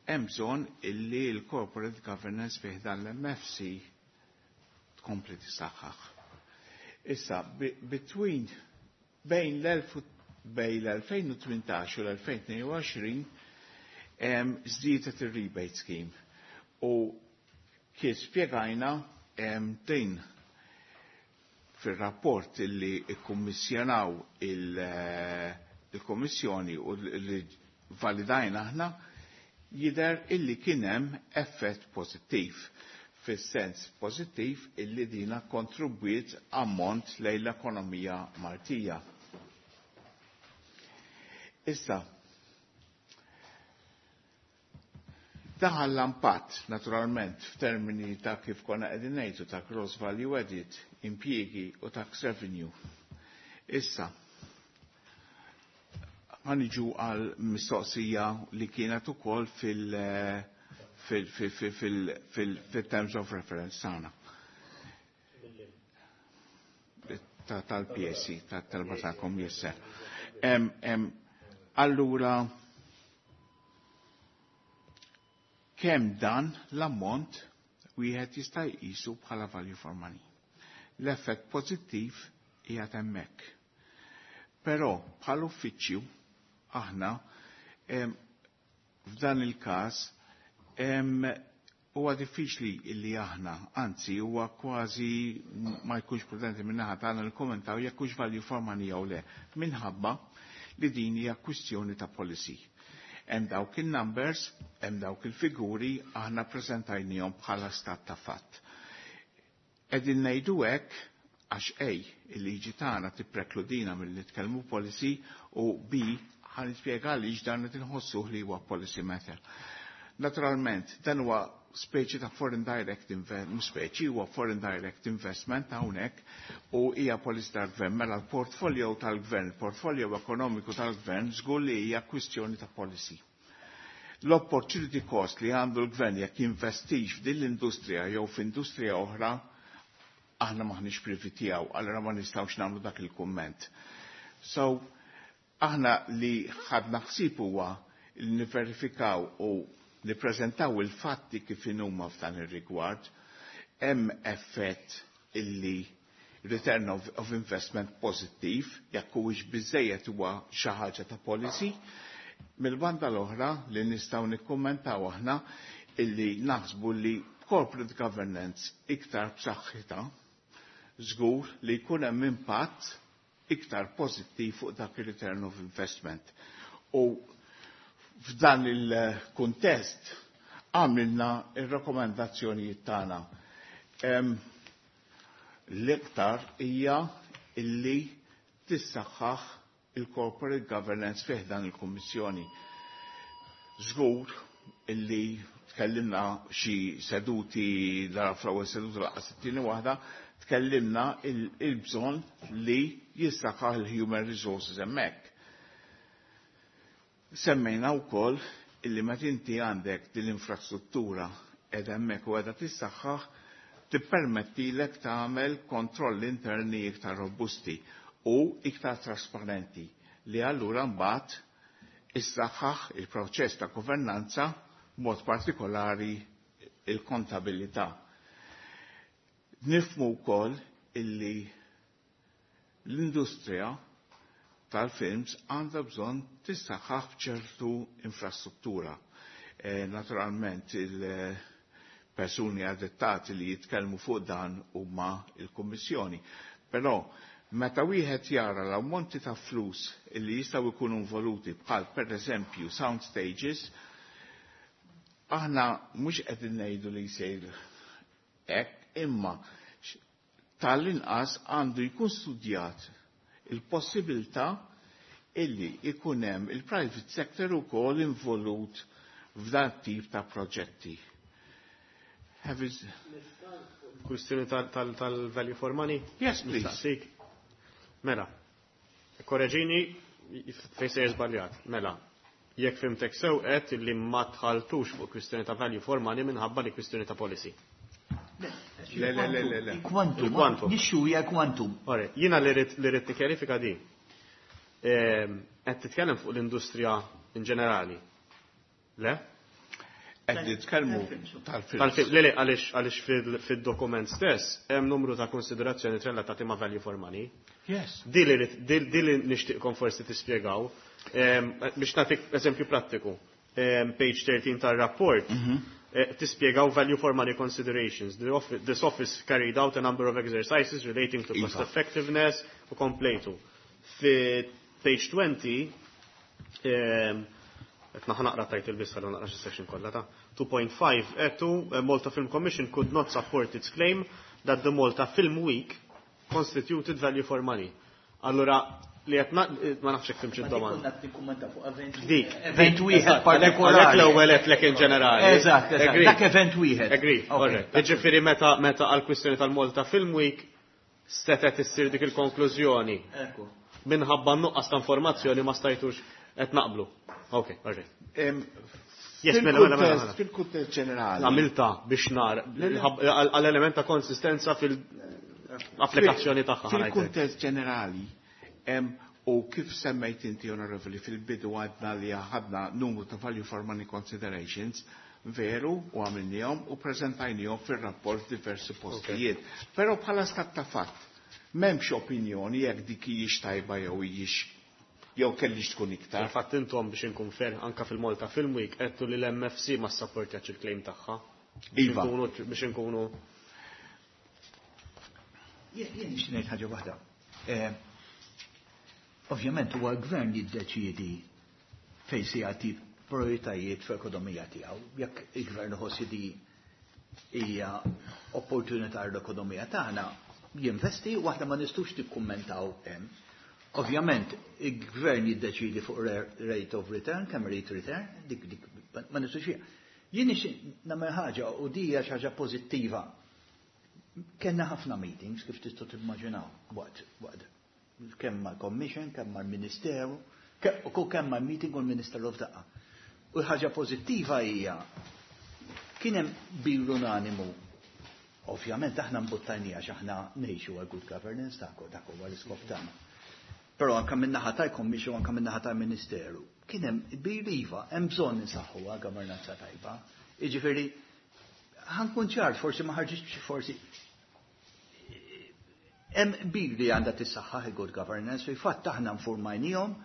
hemm bżonn illi l-corporate governance fih dan l-M F C tkompli tisaħħaħ. Issa, between bejn bejn l-elfejn u tmintax u l-elfejn u tnejn u għoxrin żdiedet ir-rebate scheme u kif spjegajna din fil-rapport illi ikkummissjonaw il-Kommissjoni u li validajna aħna, jidher illi kien hemm effett pozittiv, fis-sens pozittiv illi dina kontribwiet ammont lejn l-ekonomija Maltija. Issa, daħal l-impatt, naturalment, f'termini ta' kif konna qegħdin ngħidu ta' gross value added, impjiegi u tax revenue. Issa, ħa niġu għal mistoqsija li kienet ukoll fil- fil- fil- fil- fil- fil-terms of reference tagħna. Tal-P S C, tal-talba tagħkom, yes sir. Allura, kemm dan l-ammont wieħed jista' jqisu bħala value for money? L-effett pożittiv qiegħed hemmhekk. Però bħal uffiċċju aħna f'dan il-każ huwa diffiċli illi aħna, anzi huwa kważi ma jkunx prudenti min-naħa tagħna nikkommentaw jekk hux value for money jew le, minħabba li din hija kwistjoni ta' policy. Hemm dawk il-numbers, hemm dawk il-figuri, aħna preżentajnihom bħala stat ta' fatt. Qegħdin ngħidu hekk għax A, il-liġi tagħna tipprekludina milli nitkellmu policy, u B, ħa nispjega għaliex dan qed inħossuh li huwa policy matter. Naturalment, dan huwa speċi ta' foreign direct investment, speċi, huwa foreign direct investment hawnhekk u hija policy tal-gvern. Mela l-portfolio tal-gvern, il-portfolio ekonomiku tal-gvern żgur li hija kwistjoni ta' policy. L-opportunity cost li għandu l-gvern jekk jinvestix f'din l-industrija jew f'industrija oħra, aħna maħniex privy tiegħu, allura ma nistgħux nagħmlu dak il-kumment. So, aħna li ħadna ħsieb huwa li niverifikaw u nippreżentaw il-fatti kif inhuma f'dan ir-rigward. Hemm effett illi return of, of investment pozittiv, jekk huwiex biżejjed huwa xi ħaġa ta' policy. Mill-banda l-oħra li nistgħu nikkummentaw aħna illi naħsbu li corporate governance iktar b'saħħitha żgur li jkun hemm impatt iktar pożittiv fuq dak ir-return of investment. U f'dan il-kuntest għamilna il-rekomendazzjonijiet tagħna. L-iktar hija illi tissaħħaħ il-corporate governance fih dan il-Kummissjoni. Żgur illi tkellimna xi seduti dara, fl-ewwel seduta lanqas it-tieni waħda, tkellimna il-bżonn li jissaħħaħ il-human resources hemmhekk. Semmejna wkoll illi meta inti għandek din l-infrastruttura qiegħda hemmhekk u qiegħda tissaħħaħ, tippermettilek tagħmel kontroll interni iktar robusti u iktar trasparenti, li allura mbagħad issaħħaħ il-proċess ta' governanza, mod partikolari il-kontabilità. Nifhmu wkoll illi l-industrija tal-films għandha bżonn tissaħħaħ b'ċertu infrastruttura. E, naturalment il-persuni adattati li jitkellmu fuq dan huma il-Kummissjoni. Però meta wieħed jara l-ammonti ta' flus illi jistgħu jkunu involuti bħal pereżempju sound stages, aħna mhux qegħdin ngħidu li jsir hekk, imma tal-inqas għandu jkun studjat il-possibilità illi ikun hemm il-private sector ukoll involut f'dan tip ta' proġetti. Kwistjoni tal-value for money? Yes, please. Mela, korreġini fejn se żbaljat. Mela, jekk fhimtek sew qed illi ma tħaltux fuq kwistjoni ta' value for money minħabba li kwistjoni ta' policy. Le, le, le, le, le. Quantum. Il-quantum. Nixxu hija quantum. Ore, jiena li rrid li rrid nikkjarifika di. Ehm, qed titkellem fuq l-industrija in ġenerali. Le? Qed nitkellmu tal-film. Tal-film, le, le, għaliex għaliex fil- fil-dokument stess hemm numru ta' konsiderazzjoni relatati ma' value for money. Yes. Di li rrid- di di li nixtieqkom forsi tispjegaw. Ehm, Biex nagħtik eżempju prattiku. Ehm, Page thirteen tar-rapport eh, tispjegaw value for money considerations. The office, this office carried out a number of exercises relating to cost Iva. effectiveness u komplejtu. Fi page twenty, ehm, qed naqra title biss ħallu naqra section kollha ta' two point five etu eh, Malta Film Commission could not support its claim that the Malta Film Week constituted value for money. Allura li qed na- ma nafx hekk fhimtx id-domanda. Konna tikkummenta fuq event. Dik. Event wieħed Għalhekk partikolari. l-ewwel qed lek in ġenerali. Eżatt, eżatt. Agree. Dak event wieħed. Agree, Ok. alright. Jiġifieri meta meta għal kwistjoni tal-Malta Film Week setet issir dik il-konklużjoni Ekku. minħabba nuqqas ta' informazzjoni ma stajtux qed naqblu. Ok, alright. Em, Yes, mela, mela, mela, mela. Fil-kuntest ġenerali. Għamilta biex nar għall-element ta' konsistenza fil-applikazzjoni tagħha. Fil-kuntest ġenerali, em, u kif semmejt inti, onorevoli, fil-bidu għadna li ħadna numru ta' value for money considerations, veru, u għamilnihom u prezentajnihom fil-rapport diversi postijiet. Pero bħala stat ta' fatt, m'hemmx opinjoni jekk dik hijiex tajba jew hijiex jew kellix tkun iktar. Fil-fatt intom, biex inkun fair, anka fil-Malta Film Week għedtu li l-M F C ma ssapportjax il-claim tagħha. Biex Iva. inkunu biex inkunu Jien jien nixtieq ngħid ħaġa waħda. Eh, Ovvjament huwa l-gvern jiddeċiedi fejn se jagħti prioritajiet fl-ekonomija tiegħu. Jekk il-gvern iħoss di hija opportunità l-ekonomija tagħna, jinvesti u aħna ma nistgħux nikkummentaw hemm. Ovvjament, il-gvern jiddeċidi fuq rate of return, kemm rate return, dik dik ma nistgħux hija. Jien nixtieq nagħmel ħaġa u di hija xi ħaġa pożittiva. Kenna ħafna meetings, kif tistgħu timmaġinaw, waqt waqt kemm mal-Commission, kemm mal-Ministeru, u kemm mal-meeting u l-Ministeru f'daqqa. U l-ħaġa pożittiva hija kien hemm qbil unanimu. Ovvjament aħna mbuttajnija għax aħna ngħixu għal good governance, dak dak huwa l-iskop tagħna. Però anke min-naħa tal-Commission u anke min-naħa tal-Ministeru kien hemm qbil, iva, hemm bżonn insaħħu għal governanza tajba. Jiġifieri ħa nkun ċar, forsi ma ħarġitx, forsi hemm qbil li għandha tissaħħaħ il-good governance, fil-fatt aħna nfurmajnihom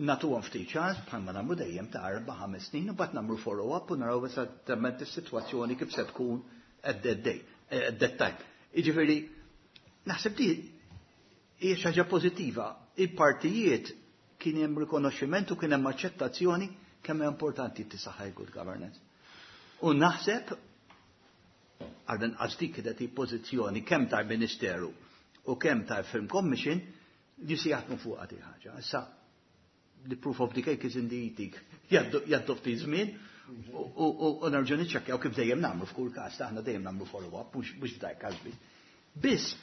nagħtuhom ftit ċans bħalma nagħmlu dejjem ta' erba' ħames snin u mbagħad nagħmlu follow-up u naraw esattament is-sitwazzjoni kif se tkun at that day, at that time. Jiġifieri naħseb di hija xi ħaġa pożittiva. Il-partijiet kien hemm rikonoxximent u kien hemm aċċettazzjoni kemm hija importanti tissaħħaħ il-good governance. U naħseb għal għax dik kienet pożizzjoni kemm tal-Ministeru u kemm tal-Film Commission li se jaħdmu fuq di ħaġa. Issa, the proof of the cake is in the eating. Jgħaddu ftit żmien u u nerġgħu niċċekkjaw kif dejjem nagħmlu f'kull każ, aħna dejjem nagħmlu follow-up, mhux mhux f'dak każ biss. Biss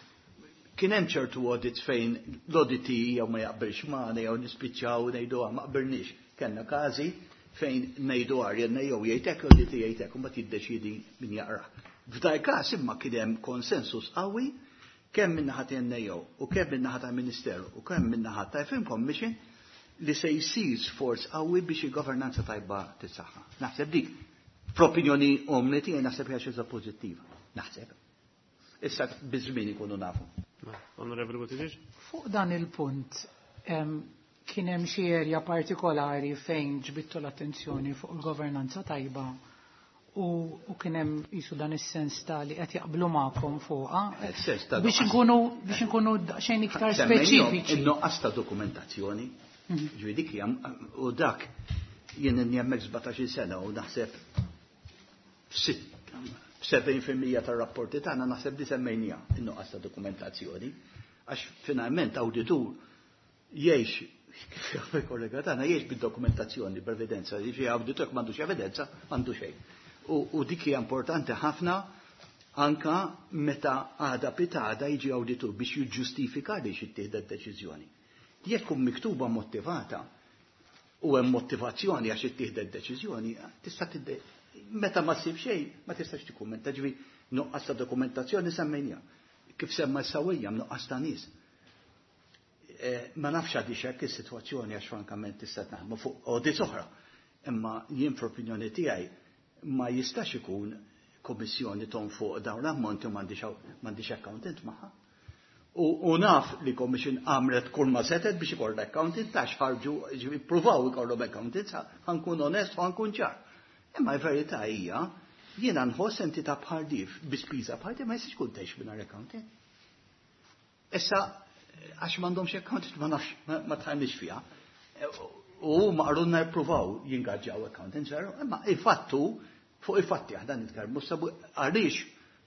kien hemm ċertu audits fejn l-auditi jew ma jaqbilx magħna jew nispiċċaw ngħidu ma qbilniex. Kellna każi fejn ngħidu għarjenna jew jgħidek l-auditi jgħidek u mbagħad jiddeċidi min jaqra. F'dal każ imma kien hemm konsensus qawwi kemm min-naħa N A O u kemm min-naħa tal-Ministeru u kemm min-naħa tal-Film Commission li se jsir sforz qawwi biex il-governanza tajba tissaħħa. Naħseb dik, fl-opinjoni umli tiegħi, naħseb hija xi pożittiva. Naħseb. Issa biż-żmien ikunu nafu. Onorevoli Buttigieg? Fuq dan il-punt, kien hemm xi erja partikolari fejn ġbittu l-attenzjoni fuq il-governanza tajba u, u kien hemm qisu dan is-sens ta' li qed jaqblu magħkom fuqha. Biex inkunu biex inkunu xejn iktar speċifiċi. In-nuqqas ta' dokumentazzjoni. Ġifieri dik hija u dak jien hemmhekk sbatax-il sena u naħseb f'sebgħin fil-mija tar-rapporti tagħna naħseb di semmejnija in-nuqqas ta' dokumentazzjoni. Għax finalment awditur jgħix kif jaf il-kollega tagħna jgħix bid-dokumentazzjoni, b'evidenza, jiġifieri awditur jekk m'għandux evidenza, m'għandu xejn. U, u dik hija importanti ħafna anka meta għada pitada jiġi awditur biex jiġġustifika li ittieħdet deċiżjoni. Jekk tkun miktuba motivata u hemm motivazzjoni għax ittieħdet deċiżjoni, tista' tidde meta ma ssib xejn ma tistax tikkummenta, ġifieri nuqqas ta' dokumentazzjoni semmejnija. Kif semma s-sawija nuqqas ta' nies. Ma nafx għadix hekk is-sitwazzjoni għax frankament tista' naħdmu fuq audits oħra. Imma jien fl-opinjoni tiegħi ma jistax ikun kommissjoni ton fuq dawn l-ammonti u m'għandix accountant magħha. U naf li commission għamlet kull ma setet biex ikollha accountant għax ħarġu ippruvaw ikollhom accountant, ħankun onest u ħankun ċar. Imma l-verità hija jiena nħoss entità bħal dif bi spiża bħal di ma jistax ikun tgħix mingħajr accountant. Issa għax m'għandhomx accountant ma nafx ma tħallniex fiha. U ma qarunna jippruvaw jingaġġaw accountant, veru, imma il-fattu fuq il-fatti aħna nitkellmu sabu għaliex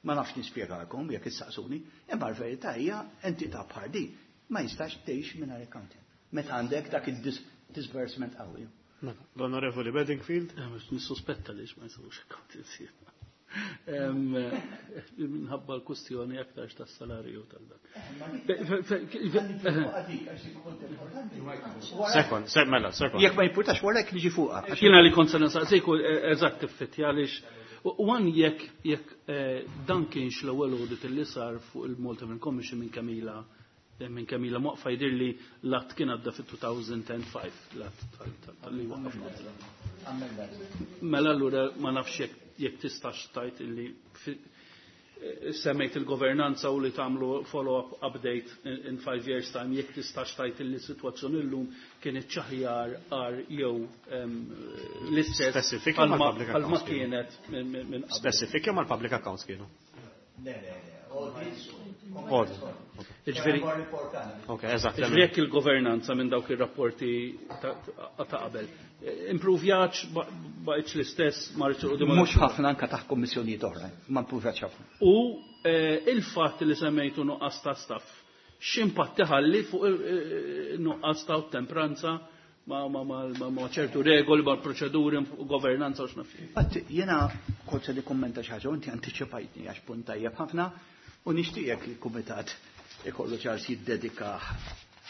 ma nafx nispjegalkom jekk issaqsuni, imma l-verità hija entità bħal di ma jistax tgħix mingħajr accountant. Meta għandek dak il-disbursement qawwi. L-Onorevoli Bedingfield? Nissospetta li ma jsewx accountant. Minħabba l-kustjoni aktarx tas-salarju tal-dak. Sekond, se mela, sekond. Jekk ma jimpurtax wara jekk niġi fuqha. Jiena li kont se nistaqsik eżatt tiffitti għaliex wan jekk jekk dan kienx l-ewwel audit li sar fuq il-Malta Film Commission minn Kamila minn Kamila Moqfa jidhir li l-att kien għadda fit-two thousand and five, l-att tal-li waqaf. Mela allura ma nafx jekk jekk tistax tajt illi semmejt il-governanza u li tagħmlu follow-up update in, in five years time, jekk tistax tajt illi situazzjoni llum kienet ċaħjar għar jew l-istess għal ma kienet minn qabel. Specific jew mal-public accounts kienu? Le, le, le. Ġifieri, Ok, eżatt. Ġifieri jekk il-governanza minn dawk ir-rapporti ta' qabel. Improvjat, baqgħetx l-istess, ma rridx Mhux ħafna anka taħt kommissjonijiet oħra, ma improvjatx ħafna. U il-fatt li semmejtu nuqqas ta' staff, x'impatt iħalli fuq nuqqas ta' tempranza ma, ma, ma, ma, ma ċertu regoli, ma proċeduri, governanza u x'naf. Fatt jiena kont se nikkummenta xi ħaġa u inti antiċipajtni għax punt tajjeb ħafna u nixtieq li l-kumitat ikollu ċans jiddedika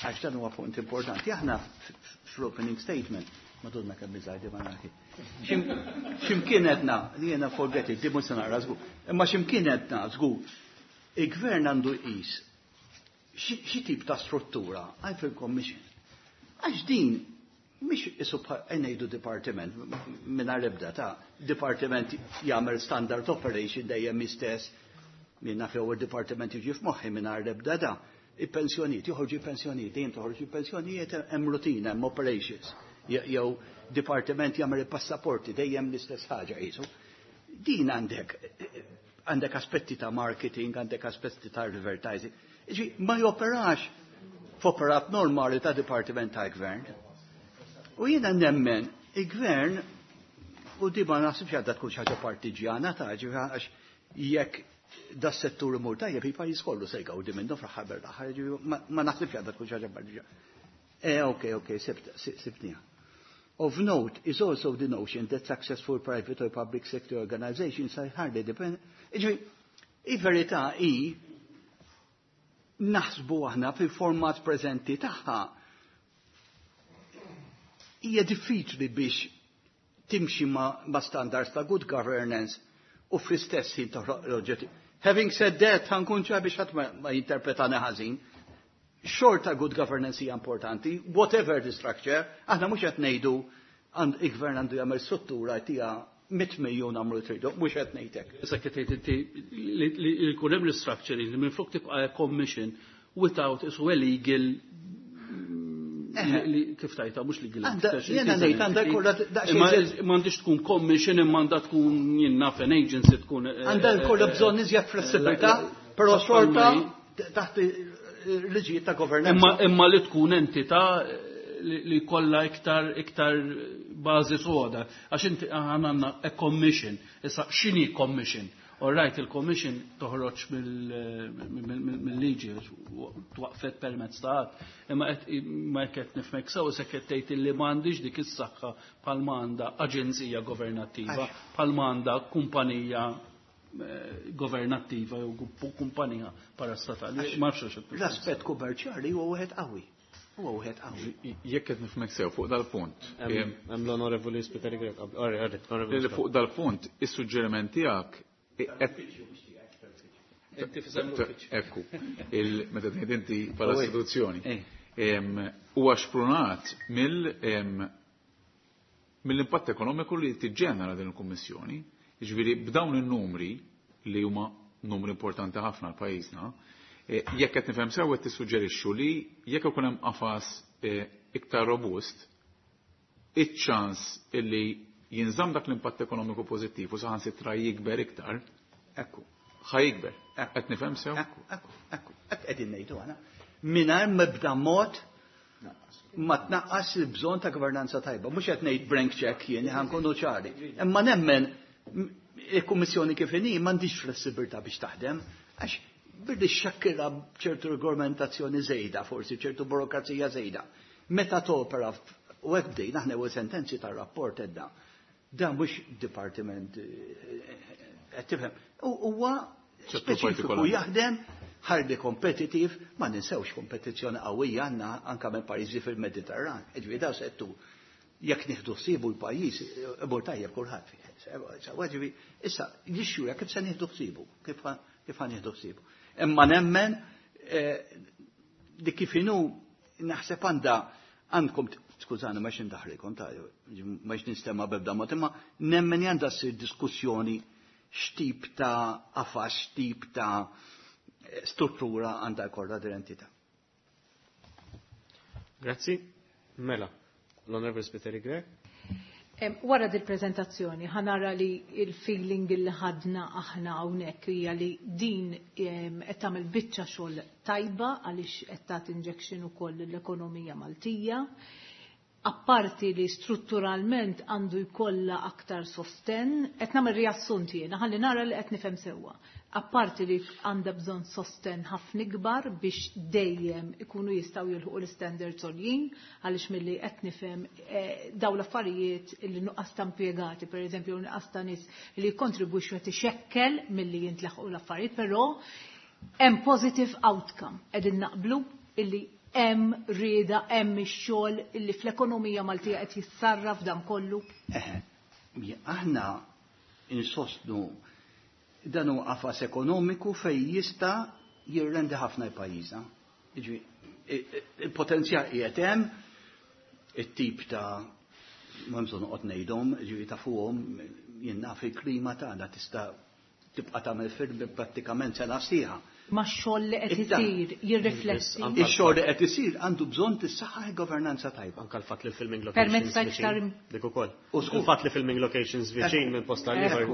għax dan huwa punt importanti. Aħna fl-opening statement, madonna kemm biżgħajdi ma nagħti. X'imkien għedna, li jiena forget it, di mhux se naqra żgur. Imma x'imkien għedna żgur, il-gvern għandu jqis xi tip ta' struttura għal fil-commission. Għax din mhix isu ngħidu dipartiment mingħajr ebda ta' dipartiment jagħmel standard operation dejjem istess minna few il-dipartiment jiġi f'moħħi mingħajr ebda da. Il-pensjonijiet, joħorġu il-pensjonijiet, dejjem toħorġu il-pensjonijiet hemm rutina, hemm operations. Jew dipartiment jagħmel il-passaporti dejjem l-istess ħaġa qisu. Din għandek għandek aspetti ta' marketing, għandek aspetti ta' advertising. Ġi, ma joperax f'operat normali ta' dipartiment ta' gvern. U jiena nemmen, il-gvern, u di ma naħsibx għadda tkun xi ħaġa partiġjana ta' ġi għax jekk da settur imur tajjeb il-pajjiż kollu se jgawdi minnu fl-aħħar bil-aħħar, ma naħsibx għadda tkun xi ħaġa partiġjana. Eh, ok, ok, sibtniha. Of note is also the notion that successful private or public sector organizations are hardly dependent. Ġi, il-verità hi naħsbu aħna fil-format preżenti tagħha hija diffiċli biex timxi ma, ma standards ta' good governance u fl-istess ħin toħloq l-oġġetti. Having said that, ħa nkun ċar biex ħadd ma, ma jinterpretani ħażin. Xorta good governance hija importanti, whatever the structure, aħna mhux qed ngħidu il-gvern għandu jagħmel struttura tija Mitt miljun għamlu tridu, mhux qed ngħidlek. Issa qed tgħid inti li jkun hemm restructuring li minflok tibqa' commission without isu a legal li kif tajta mhux legal. Jiena ngħid għandha jkollha daqsxejn. M'għandix tkun commission imma għandha tkun jien naf an agency tkun. Għandha jkollha bżonn iżjed flessibilità, però xorta taħt liġijiet ta' governanza. Imma li tkun entità li kollha iktar iktar bażi soda. Għax inti għandna a commission. Issa x'inhi commission? All right, il-commission toħroġ mill-liġi twaqfet permezz ta' att. Imma qed ma qed nifhmek sew se qed tgħid li m'għandix dik is-saħħa bħal m'għandha aġenzija governattiva, bħal m'għandha kumpanija governattiva jew kumpanija parastatali. Ma nafx x'qed. L-aspett kummerċjali huwa wieħed qawwi. Huwa wieħed qawwi. Jekk qed nifhmek sew fuq dal-punt. Hemm l-Onorevoli Spiteri Grech. Fuq dal-punt, is-suġġeriment tiegħek Ekku, meta tgħid inti bħala istituzzjoni. Huwa xprunat mill-impatt ekonomiku li tiġġenera din il-Kummissjoni. Jiġifieri b'dawn in-numri li huma numri importanti ħafna għal pajjiżna, jekk qed nifhem sew qed tissuġġerixxu li jekk ikun hemm qafas iktar robust, iċ-ċans illi jinżamm dak l-impatt ekonomiku pożittiv u saħansitra jikber iktar. Ekku. Ħa jikber. Qed nifhem sew? Ekku, ekku, ekku. Hekk qegħdin ngħidu aħna. Mingħajr mebda mod ma tnaqqas il-bżonn ta' governanza tajba. Mhux qed ngħid blank check jien ħa nkunu ċari. Imma nemmen il-Kummissjoni kif inhi m'għandix flessibilità biex taħdem, għax billi xakkira ċertu regolamentazzjoni żejda, forsi ċertu burokrazija żejda. Meta topera u hekk bdejna aħna ewwel sentenzi tar-rapport edda. Dan mhux dipartiment qed tifhem. Huwa speċifiku jaħdem ħarbi competitive, ma ninsewx kompetizzjoni qawwija għandna anke minn pajjiżi fil-Mediterran. Ġifieri daw settu jekk nieħdu ħsiebu l-pajjiż, imur tajjeb kulħadd fih. Ġifieri issa jixxura kif se nieħdu ħsiebu, kif ħa nieħdu ħsiebu. Imma nemmen li kif inhu naħseb għandha għandkom skużani ma xindaħrikom ta' ma nistema bebda mod, imma nemmen għandha ssir diskussjoni x'tip ta' qafas, x'tip ta' struttura għandha jkollha din l-entità. Grazzi. Mela, l-Onorevole Spiteri Grech. Wara dil-prezentazzjoni ħanara li il-feeling li ħadna aħna hawnhekk hija li din qed tagħmel biċċa xogħol tajba għaliex qed tagħti injection ukoll l-ekonomija Maltija. Apparti li strutturalment għandu jkollha aktar sosten, qed nagħmel riassunt jiena ħalli nara li qed nifhem sewwa. Apparti li għandha bżonn sosten ħafna ikbar biex dejjem ikunu jistgħu jilħqu l-standards għoljin, għaliex milli qed nifhem dawn l-affarijiet li nuqqas ta' impjegati, pereżempju nuqqas ta' nies li jikkontribwixxu qed ixekkel milli jintlaħqu l-affarijiet, però hemm positive outcome. Qegħdin naqblu illi hemm rieda, hemm ix-xogħol illi fl-ekonomija Maltija qed jissarraf dan kollu. Aħna insostnu dan huwa qafas ekonomiku fejn jista' jirrendi ħafna l-pajjiżna. Il-potenzjal qiegħed hemm, it-tip ta' ma bżonn noqgħod ngħidhom, ġifieri ta' fuqhom jien naf il-klima tagħna tista' tibqa' tagħmel film prattikament sena sieħa. Ma x-xogħol li qed isir jirrifletti. Ix-xogħol li qed isir għandu bżonn tissaħħaħ il-governanza tajba. Anke l-fatt li filming locations viċin. Dik ukoll. Il-fatt li filming locations viċin minn posta ieħor.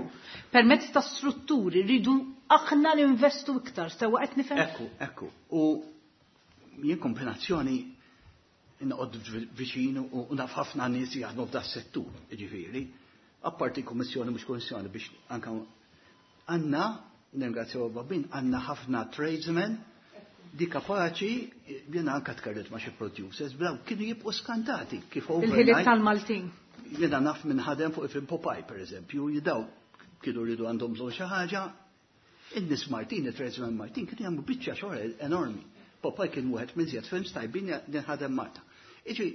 Permezz ta' strutturi rridu aħna ninvestu iktar, sewwa qed nifhem. Ekku, ekku. U jien kombinazzjoni noqgħod viċin u naf ħafna nies jaħdmu f'da settur, jiġifieri. Apparti kummissjoni mhux kummissjoni biex anke għandna ningrazzjaw Babin, għandna ħafna tradesmen di kapaċi, jiena anka tkellimt ma' xi producers, blaw kienu jibqgħu skantati kif overnight. Il-ħiliet tal-Maltin. Jiena naf minn ħadem fuq il-film Popeye, per eżempju, jidaw kienu rridu għandhom bżonn xi ħaġa. In-nies Maltin, it-tradesmen Maltin, kienu jagħmlu biċċa xogħol enormi. Popeye kien wieħed minn żjed films tajbin li ħadem Malta. Iġi,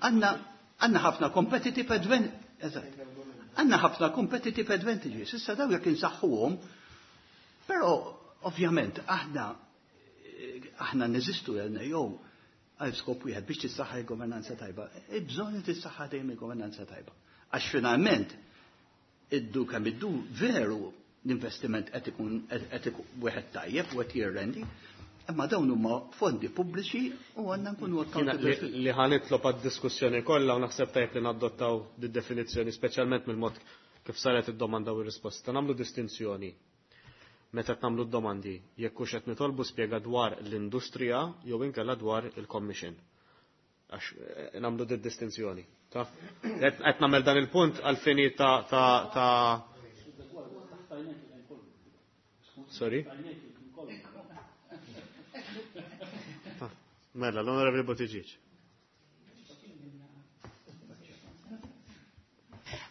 għandna għandna ħafna competitive advantage. Għandna ħafna competitive advantages, issa daw jekk insaħħuhom, però ovvjament aħna aħna neżistu għalna jew għal skop wieħed biex tissaħħa il-governanza tajba. Il-bżonn li tissaħħa dejjem il-governanza tajba. Għax finalment Iddu kemm iddu veru l-investiment qed ikun qed ikun wieħed tajjeb u qed jirrendi, imma dawn huma fondi pubbliċi u għandna nkunu Jiena li accountable. li ħa nitlob għad-diskussjoni kollha u naħseb tajjeb li nadottaw di-definizzjoni speċjalment mill-mod kif saret id-domanda u r-risposta. Nagħmlu distinzjoni meta qed nagħmlu d-domandi jekk hux qed nitolbu spjega dwar l-industrija jew inkella dwar il-commission. Għax eh, nagħmlu di distinzjoni. Taf? Qed qed nagħmel dan il-punt għal-fini ta' ta' ta' Sorry? Mela, l-Onorevoli Buttigieg.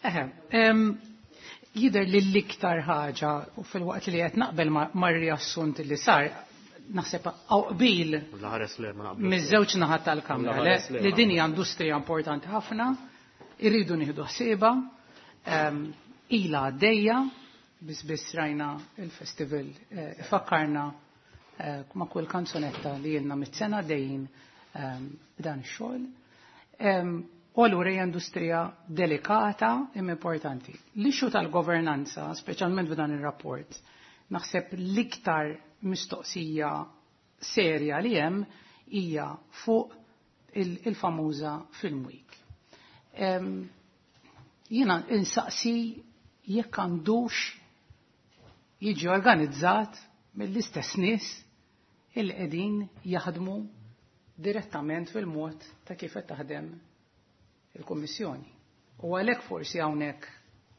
Eħe, em, jidher li l-iktar ħaġa u fil-waqt li qed naqbel ma- mar-riassunt li sar, naħseb hawn qbil L-ħares le ma naqblux. miż-żewġ naħat tal-Kamra le, L-ħares le, li ma din hija industrija importanti ħafna, irridu nieħdu ħsiebha, em, ilha għaddejja, biss biss rajna il-festival eh, ifakkarna eh, ma' kull kanzunetta li ilna mit-sena dejjin em, b'dan ix-xogħol. Em, U allura hija industrija delikata imma importanti. L-issue tal-governanza, speċjalment f'dan ir-rapport, naħseb l-iktar mistoqsija serja li hemm hija fuq il- il-famuża Film Week. Em, Jiena insaqsi jekk għandux jiġi organizzat mill-istess nies il qegħdin jaħdmu direttament fil-mod ta' kif qed taħdem il-Kummissjoni. U għalhekk forsi hawnhekk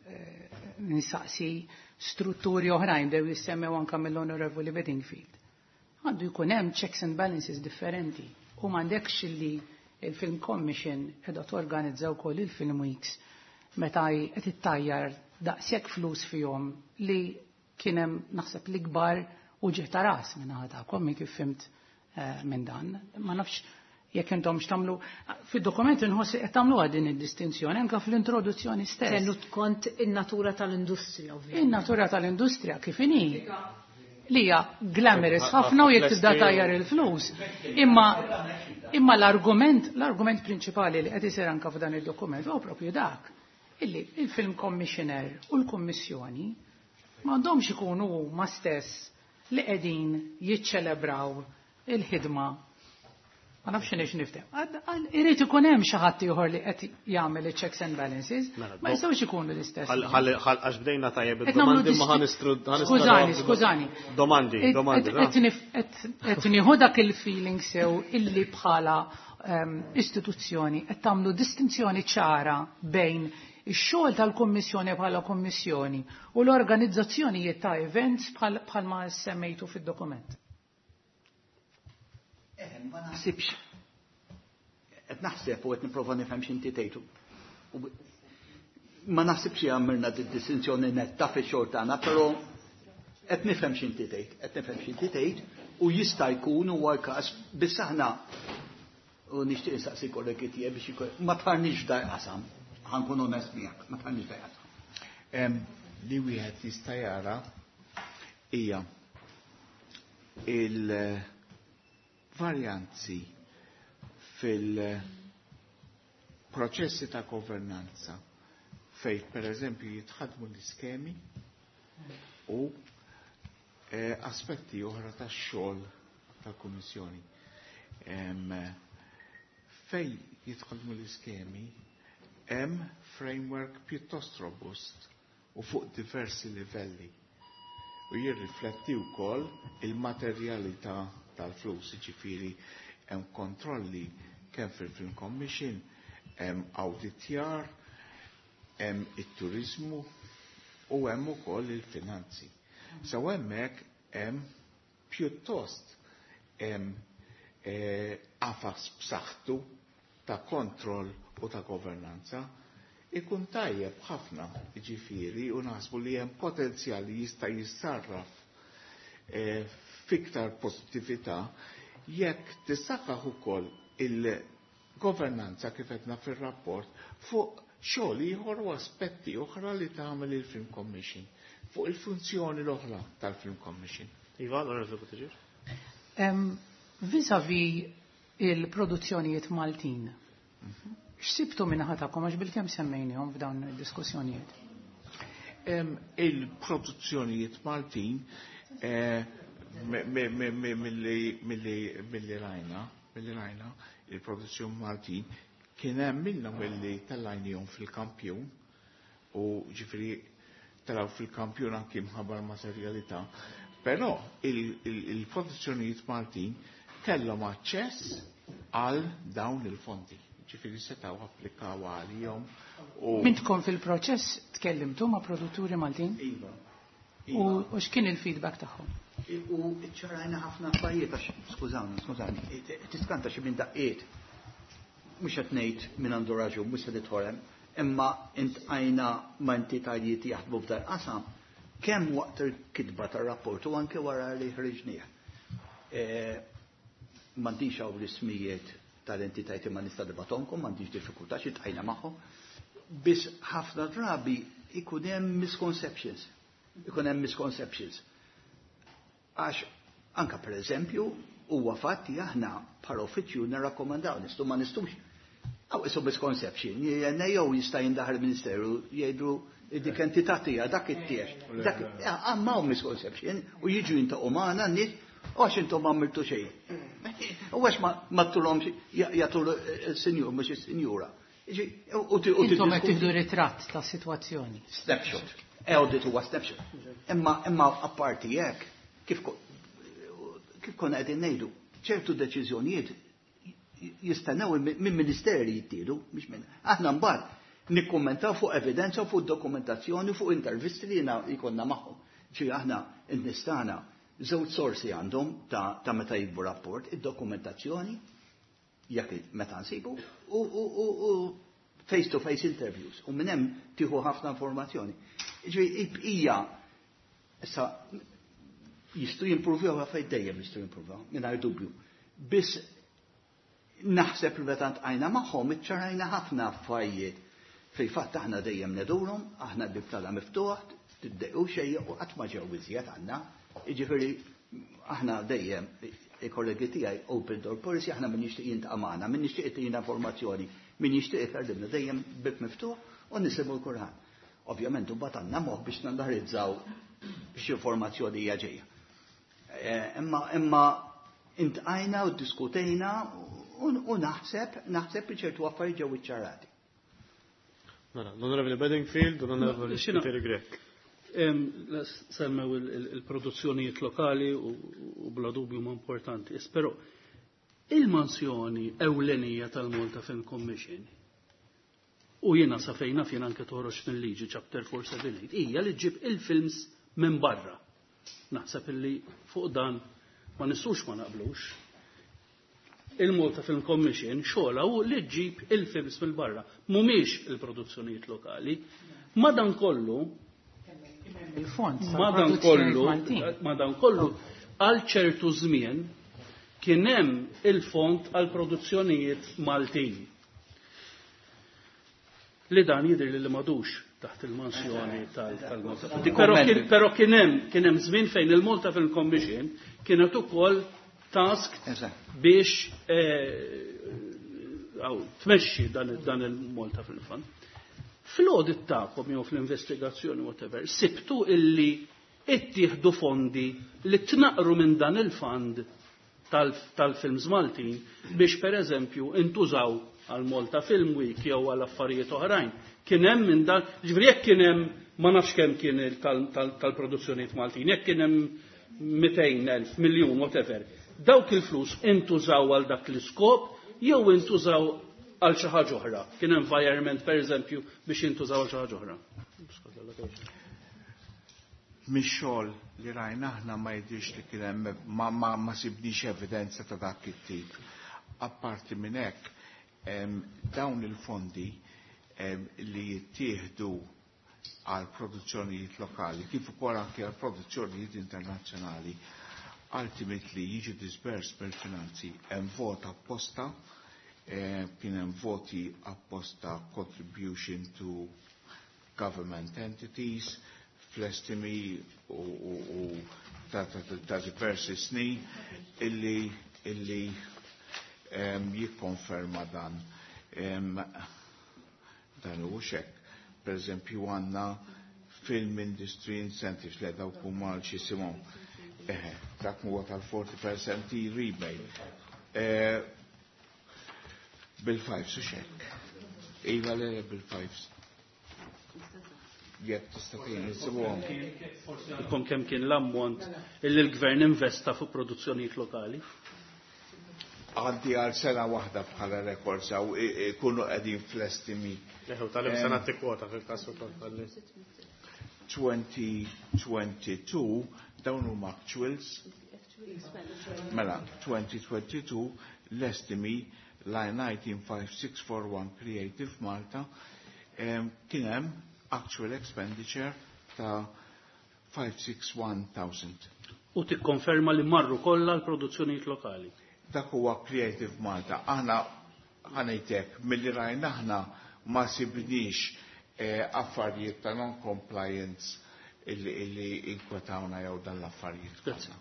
eh, nisaqsi strutturi oħrajn dew jissemmew anke mill-Onorevoli Bedingfield. Għandu jkun hemm checks and balances differenti u m'għandekx li il-Film Commission qiegħda torganizza wkoll il-Film Weeks meta qed ittajjar daqshekk flus fihom li kien hemm naħseb l-ikbar uġigħ ta' ras minn naħa tagħkom minn kif fimt eh, minn dan. Ma nafx jekk intom x'tagħmlu fid-dokument inħoss qed tagħmluha din id-distinzjoni anke fl-introduzzjoni stess. Tenut kont in-natura tal-industrija, ovvjament. In-natura tal-industrija kif inhi li hija glamorous ħafna u jekk tibda tajjar il-flus. Imma imma l-argument l-argument prinċipali li qed isir anke f'dan id-dokument huwa propju dak illi il-Film Commissioner u l-Kummissjoni m'għandhomx ikunu huma stess li qegħdin jiċċelebraw il-ħidma. Ma nafx x'inhi niftem. Irid ikun hemm xi ħadd ieħor li qed jagħmel il-checks and balances, Mela, ma jistgħux ikunu l-istess. Ħal- ħal- ħal- Għax bdejna tajjeb Qed nagħmlu id-domandi ma disti- ħanistru Skużani, skużani. Domandi, Qed- domandi. qed- qed nif- qed- Qed nieħu dak il-feeling sew illi bħala ehm, istituzzjoni qed tagħmlu distinzjoni ċara bejn ix-xogħol tal-Kummissjoni bħala Kummissjoni u l-organizzazzjonijiet ta' events bħal bħalma semmejtu fid-dokument. Eh, ma naħsibx. Qed naħseb u qed nipprova nifhem x'inti tgħidu. U b- Ma naħsibx li għamilna di distinzjoni netta fix-xogħol tagħna, però qed nifhem x'inti tgħid, qed nifhem x'inti tgħid u jista' jkun huwa l-każ biss aħna u nixtieq insaqsi kollegi tiegħi biex ikun ma tħarniex f'daj qasam, ħankun onest miegħek, ma tħarniex f'daj qasam. Em, Li wieħed jista' jara hija il-varjanzi fil-proċessi ta' governanza fejn per eżempju jitħadmu l-iskemi u eh, aspetti oħra tax-xogħol tal-Kummissjoni. Em, Fej jitħadmu l-iskemi hemm framework pjuttost robust u fuq diversi livelli u jirrifletti wkoll il-materjalità tal-flus, jiġifieri hemm kontrolli kemm fil-Film Commission, hemm awditjar, hemm it-turizmu u hemm ukoll il-finanzi. So hemmhekk hemm pjuttost hemm eh, qafas b'saħħtu ta' kontroll u ta' governanza. Ikun tajjeb ħafna, ġifieri, u naħsbu li hemm potenzjal li jista' jissarraf eh, fiktar pożittività jekk tissaħħaħ ukoll il-governanza kif qedna fir-rapport fuq xogħol ieħor u aspetti oħra li tagħmel il-Film Commission, fuq il-funzjoni l-oħra tal-Film Commission. Iva, l-Onorevoli Buttigieg. Em, Vis-a-vis il-produzzjonijiet Maltin, x'sibtu minn ħatakom għax bilkemm semmejnihom f'dawn id-diskussjonijiet? Il-produzzjonijiet Maltin eh, milli rajna, milli rajna, il-produzzjoni Maltin kien hemm minnhom illi tellajnihom fil-kampjun u ġifieri telaw fil-kampjun anki mħabba l-materjalità, però il-produzzjonijiet Maltin kellhom aċċess għal dawn il-fondi. Ġifieri setgħu applikaw għalihom u Mintkom fil-proċess tkellimtu ma' produtturi Maltin? Iva. U u x'kien il-feedback tagħhom? U ċarajna ħafna affarijiet għax, skużawni, skużawni, tiskanta xi minn daqqiet. Mhux qed ngħid min għandu raġun, mhux se nidħol hemm, imma intqajna ma' entitajiet jaħdmu f'dal qasam kemm waqt il-kitba tar-rapport u anke wara li ħriġnieh. M'għandix hawn l-ismijiet tal-entitajiet imma nista' nibatomkom, m'għandix diffikultà xi tqajna magħhom. Biss ħafna drabi ikun hemm misconceptions. Ikun hemm misconceptions. Għax anka per eżempju huwa fatti aħna bħala uffiċċju nirrakkomandaw nistgħu ma nistgħux. Aw isu misconception, jew jista' jindaħal il-Ministeru jgħidu dik entità tiegħek dak it-tiex. Dak għamma hawn misconception u jiġu jintaqgħu magħna n-nies u għax intom ma għamiltu xejn. U għax ma tulhomx jagħtu il-sinjur mhux is-sinjura. U Intom qed tieħdu ritratt ta' sitwazzjoni. Snapshot. Audit huwa snapshot. Imma imma apparti hekk kif kif konna qegħdin ngħidu, ċertu deċiżjonijiet jistennew minn ministeri jittieħdu, mhix minn. Aħna mbagħad nikkummentaw fuq evidenza, fuq dokumentazzjoni, fuq intervisti li jkollna magħhom. Ġi aħna n-nistana żewġ sorsi għandhom ta', ta meta jikbu rapport, id-dokumentazzjoni, jekk meta nsibu, u, u, u, u face-to-face interviews. U minn hemm tieħu ħafna informazzjoni. Ġifieri il-bqija issa jistgħu jimprovjaw għafaj dejjem jistgħu jimprovjaw, mingħajr dubju. Biss naħseb li meta ntqajna magħhom iċċarajna ħafna affarijiet. Fil-fatt aħna dejjem nedurhom, aħna l-bib tagħna miftuħ, tiddejqu xejn u qatt ma ġew iżjed għandna. Jiġifieri aħna dejjem il-kollegi tiegħi open door policy, aħna min jixtieq jiltaqa' magħna, min jixtieq jtina informazzjoni, min jixtieq ikellimna dejjem bib miftuħ u nisimgħu l-Qur'an. Ovvjament imbagħad għandna moħħ biex nanalizzaw x'informazzjoni hija ġejja. Imma imma intqajna u diskutejna u naħseb naħseb li ċertu affarijiet ġew iċċarati. Mela, l-Onorevoli Bedingfield u l-Onorevoli Spiteri Grech. Semmew il-produzzjonijiet lokali u bla dubju ma importanti. Però il-mansjoni ewlenija tal-Malta Film Commission u jiena sa fejna fjena anke toħroġ mill-liġi chapter four seven eight hija li ġib il-films minn barra. Naħseb illi fuq dan ma nistgħux ma naqblux. Il-Malta Film Commission xogħla hu li ġib il-films mill barra, mhumiex il-produzzjonijiet lokali. Madankollu il-fond madankollu madankollu għal ċertu żmien kien hemm il-fond għal produzzjonijiet Maltin. Li dan jidher li m'għadux taħt il-mansjoni tal-Malta. Però kien hemm kien hemm żmien fejn il-Malta Film Commission kienet ukoll task biex tmexxi dan il-Malta Film Fund. Fl-audit tagħkom jew fl-investigazzjoni whatever, sibtu illi ittieħdu fondi li tnaqru minn dan il-fund tal-films Maltin biex per eżempju intużaw għal Malta Film Week jew għal affarijiet oħrajn. Kien hemm minn dan, ġifieri jekk kien hemm ma nafx kemm kien tal-produzzjonijiet Maltin, jekk kien hemm mitejn elf miljun whatever. Dawk il-flus intużaw għal dak l-iskop jew intużaw għal xi ħaġa oħra. Kien environment pereżempju biex jintużaw għal xi ħaġa oħra. Mix-xogħol li rajna aħna ma jidhirx li kien hemm ma, ma, ma sibniex evidenza ta' dak it-tip. Apparti minn hekk, dawn il-fondi li jittieħdu għal produzzjonijiet lokali, kif ukoll anke għal produzzjonijiet internazzjonali, ultimately jiġu dispersed mill-finanzi. Hemm vot apposta, kien hemm voti apposta contribution to government entities, fl-estimi u, u, u ta', ta, ta, ta diversi snin illi, illi um, jikkonferma dan. Um, dan u xek. Per eżempju għanna Film Industry Incentives, le dawk huma x'isimhom. Eħe, dak huwa tal-forty percent rebate. Eh, Bil-fives u xek. Iva, le, bil-fives. Jekk tista' tgħin insibuhom. Forsi kemm kien l-ammont illi l-gvern investa fuq produzzjonijiet lokali. Għandi għal sena waħda bħala records għaw ikunu qegħdin fl-estimi. Eħu, tal sena tikkwota fil-każ ukoll tal twenty twenty-two, dawn huma actuals. Mela, twenty twenty-two l-estimi line nineteen five six four one Creative Malta em, kien hemm actual expenditure ta' five sixty-one thousand. U tikkonferma li marru kollha l-produzzjonijiet lokali. Dak huwa Creative Malta. Aħna ħa ngħidlek, milli rajna aħna ma sibniex eh, affarijiet ta' non-compliance illi, illi inkwetawna jew dan l-affarijiet. Grazzi.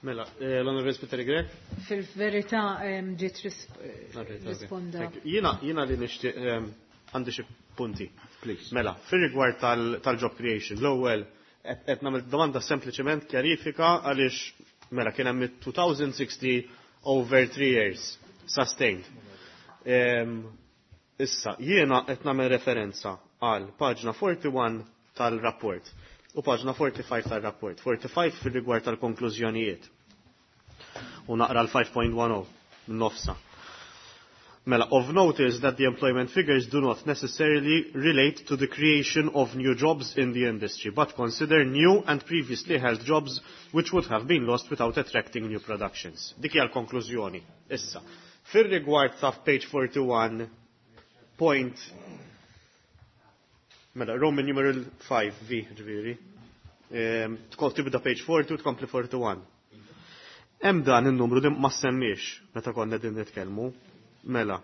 Mela, eh, l-Onorevoli Spiteri Grech? Fil-verità em, ġiet risp- Alright, okay. risponda. Thank you. Jiena, jiena li nixtieq em, għandi xi punti. Please. Mela, fir-rigward tal- tal-job creation, l-ewwel qed qed nagħmel domanda sempliċement kjarifika għaliex mela kien hemm two thousand sixty over three years sustained. Em, Issa, jiena qed nagħmel referenza għal paġna forty-one tal-rapport u paġna forty-five tal-rapport. forty-five fir-rigward tal-konklużjonijiet. U naqra l-five point ten nofsa. Mela, of note is that the employment figures do not necessarily relate to the creation of new jobs in the industry, but consider new and previously held jobs which would have been lost without attracting new productions. Dik hija l-konklużjoni. Issa, fir-rigward ta' page forty-one point, mela, Roman numeral five V, ġifieri. Ehm, tkun tibda page forty u tkompli forty-one. Hemm dan in-numru li ma semmiex meta konna din nitkellmu. Mela.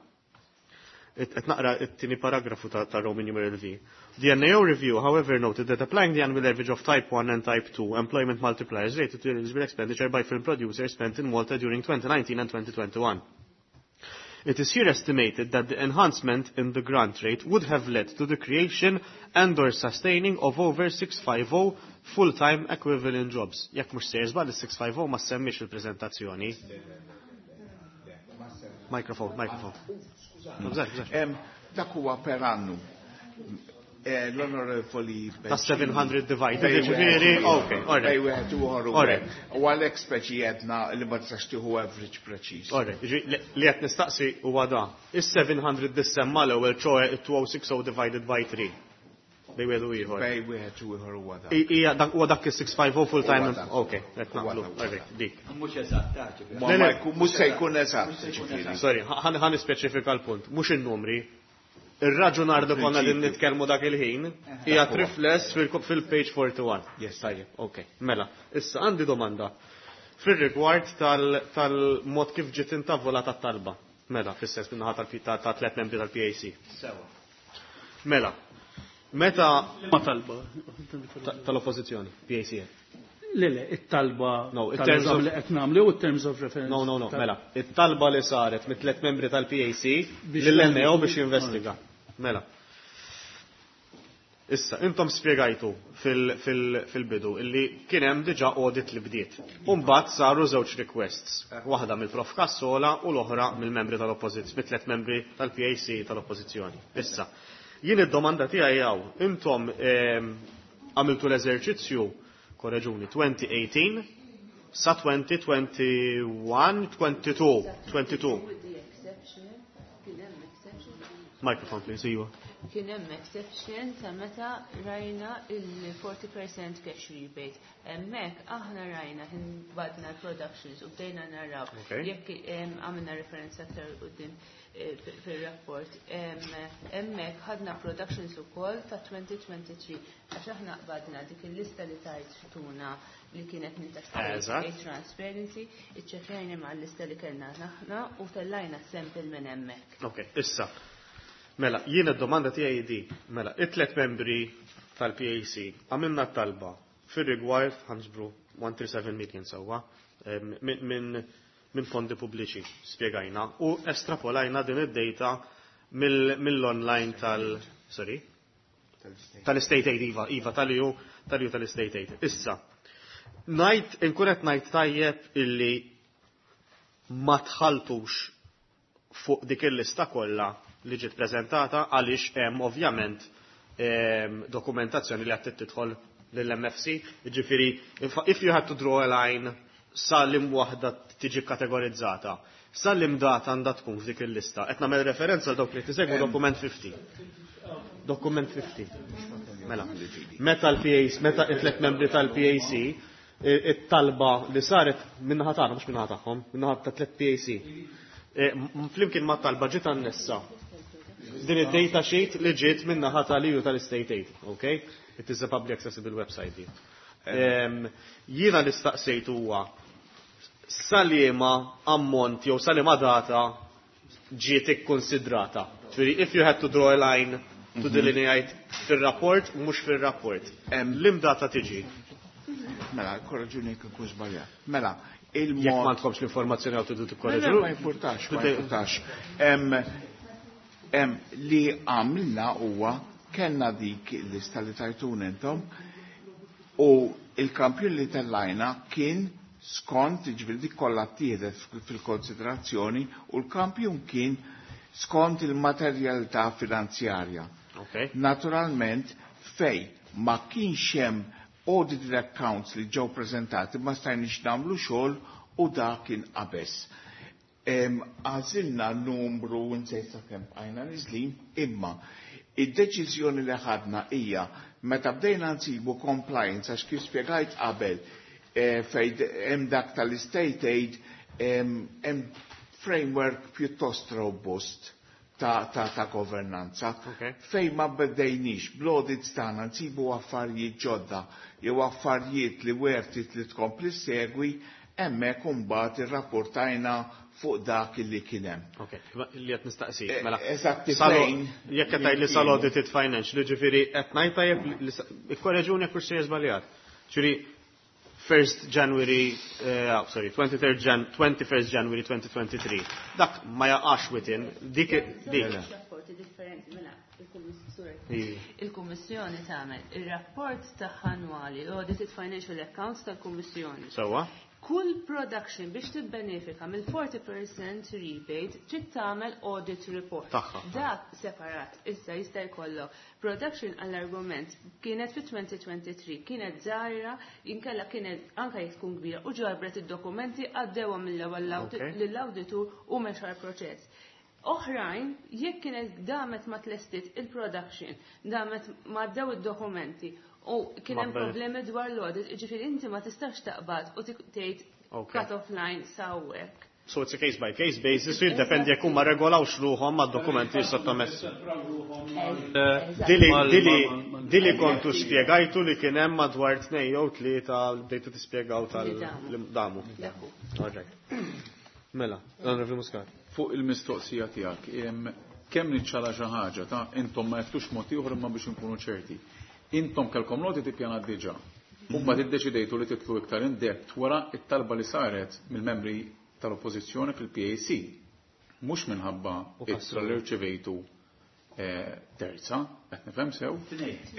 Qed naqra it-tieni paragrafu ta', ta' Roman numeral V. The N A O review, however, noted that applying the annual average of Type one and Type two employment multipliers rated to eligible expenditure by film producers spent in Malta during twenty nineteen and twenty twenty-one. It is here estimated that the enhancement in the grant rate would have led to the creation and or sustaining of over six hundred fifty full-time equivalent jobs. Jekk mhux sejjer żball, is-six fifty ma semmiex fil-preżentazzjoni. Microphone, microphone. Bżar, bżar. Em, Dak huwa per annu. Eh, L-Onorevoli Ta' seven hundred divided, ġifieri, ok, alright. Bej wieħed u ieħor u Alright. U għalhekk speċi jedna li ma tistax tieħu average preċiż. Alright, ġi- li li qed nistaqsi huwa da. Is-seven hundred dissemma l-ewwel, ċoe two thousand sixty divided by three. Bej wieħed u ieħor. Bej wieħed u ieħor huwa dak. I- Ija, dak huwa dak is-six fifty full time. Huwa dak. Ok, qed Huwa naqblu. dak. Alright, dik. Mhux eżatt, ġifieri. Ma Le, ma le. jkun- mhux se jkun eżatt, ġifieri. Sorry, ħan ħan nispeċifika l-punt, mhux in-numri. Ir-raġunar li konna din nitkellmu dak il-ħin hija rifless fil- fil-page forty-one. Yes. Tajjeb, ok. Mela, issa għandi domanda. Fir-rigward tal- tal-mod kif ġiet intavolata t-talba. Mela, fis-sens min-naħa tal- ta' ta' tliet membri tal-P A C. Sewa. Mela, meta Ma talba. ta- tal-oppożizzjoni, P A C. Le, le, it-talba No, in terms tal-eżam of- li qed nagħmlu u terms of reference. No, no, no, tal- mela, it-talba li saret mit tliet membri tal-P A C Biex lill-N A O biex jinvestiga. Mela. Issa, intom spiegajtu fil-bidu illi kien hemm diġà audit li bdiet. Umbagħad saru żewġ requests, waħda mill-Prof Cassola u l-oħra mill-membri tal-oppożizzjoni, mit-tliet membri tal-P A C tal-oppożizzjoni. Issa, jien id-domanda tiegħi hawn, intom ehm, għamiltu l-eżerċizzju, korreġuni, twenty eighteen sa twenty twenty-one, twenty-two, twenty-two. With the exception, kien hemm exception, Microphone, please, iva. Kien hemm exception ta' meta rajna il-forty percent cash rebate. Hemmhekk aħna rajna badna l-productions u bdejna naraw Okay. jekk em, għamilna referenza aktar quddiem eh, fi- fil-rapport. Em, Hemmhekk ħadna productions ukoll ta' twenty twenty-three għax aħna qbadna dik il-lista li tajtuna li kienet minn ta' Eżatt. State Transparency, iċċekkjajna ma' l-lista li kellna aħna u tellajna sample minn hemmhekk. Ok, issa. Mela, jien id-domanda tiegħi di. Mela, it-tlet membri tal-P A C għamilna talba fir-rigward ħanġbru one hundred thirty-seven million sewwa em, minn min, min fondi pubbliċi spjegajna u estrapolajna din id-data mill- mill-online tal- sorry. Tal-State Aid, Iva, Iva, tal-E U, tal-E U tal-State Aid. Issa, ngħid, inkun qed ngħid tajjeb illi ma tħaltux fuq dik il-lista kollha li ġiet preżentata, għaliex hemm ovvjament ehm, dokumentazzjoni li qed tidħol lill-M F C, jiġifieri if you had to draw a line sa liema waħda tiġi kategorizzata, sa liema data għandha tkun f'dik il-lista? Qed nagħmel referenza għal dawk li tisegwu dokument ħamsin. Dokument ħamsin. Mela. Meta l-P A C, meta it-tlet membri tal-P A C, it-talba li saret min-naħa tagħna, mhux min-naħa tagħhom, min-naħa ta' tliet P A C. E, flimkien ma' talba ġiet annessa din id-data sheet li ġiet min-naħa tal-E U tal-State Aid, okay? It is a public accessible website din. Jiena li staqsejt huwa sa liema ammont jew sa liema data ġiet ikkonsidrata. Ġifieri, if you had to draw a line to mhm. delineate fil-rapport, mhux fil-rapport. Liema data tiġi? Mela, korreġuni jekk inkun żbaljat. Mela, il-mod. Jekk m'għandkomx l-informazzjoni għaw tridu tikkorreġu. Ma importax, ma importax. Li għamilna huwa kellna dik il-lista li tajtun intom u il-kampjun li tellajna kien skont, ġifieri dik kollha ttieħdet fil-konsiderazzjoni u l-kampjun kien skont il-materjalità finanzjarja. Okay. Naturalment, fej ma kienx hemm audited accounts li ġew prezentati, ma stajniex nagħmlu xogħol u dak kien qabeż. Għażilna numru, nsejt kemm bqajna niżlin, imma id-deċiżjoni li ħadna hija meta bdejna nsibu compliance, għax kif spjegajt qabel, eh, fej hemm dak tal-state aid, hemm framework pjuttost robust ta', ta, ta governanza. Okay. Fej ma bdejniex bl-audits tagħna nsibu affarijiet ġodda jew affarijiet li worth it li tkompli segwi, hemmhekk imbagħad irrapportajna fuq dak li kien hemm. Ok, li qed nistaqsi. Eh, Mela, eżatti salo- fejn Jekk qed tgħid li sal-audited financial, ġifieri qed ngħid tajjeb li ikkorreġuni jekk sejjer żbaljat. Ġifieri first January, uh, sorry, twenty-third Jan, twenty-first January twenty twenty-three. Dak ma jaqax within, dik dik. Rapporti differenti, mela, il-Kummissjoni. Iva. Il-Kummissjoni tagħmel ir-rapport tagħha annwali, l-Audited Financial Accounts tal-Kummissjoni. Sewwa? Kull production biex tibbenefika mill-forty percent rebate trid tagħmel audit report. Tagħha. Dak separat. Issa jista' jkollok production, għall-argument, kienet fi twenty twenty-three, kienet żgħira, inkella kienet anke jekk tkun kbira u ġabret id-dokumenti, għaddewha mill-ewwel Okay. lill-awditur u mexa l-proċess. Oħrajn, jekk kienet damet ma tlestit il-production, damet ma għaddew id-dokumenti u kien hemm Ma problemi dwar l-audit, ġifieri inti ma tistax taqbad u tik- tgħid Okay. cut-off line sawwek. So it's a case by case basis, u jiddependi jekk huma regolawx ruħhom mad-dokumenti sottomessi. Dili, dili, dili kontu spjegajtu li kien hemm madwar tnejn jew tlieta li bdejtu tispjegaw tal-damu. Alright. Mela, l-Onorevoli Muscat. Fuq il-mistoqsija tiegħek, em, kemm niċċara xi ħaġa ta' intom ma jeftux mod ieħor, imma biex inkunu ċerti. Intom kellkom l-audit ippjanat diġà. U mbagħad iddeċidejtu li titlu iktar in depth wara it-talba li saret mill-membri tal-Oppożizzjoni fil-P A C. Mhux minħabba U ittra li rċevejtu eh, terza, qed nifhem sew?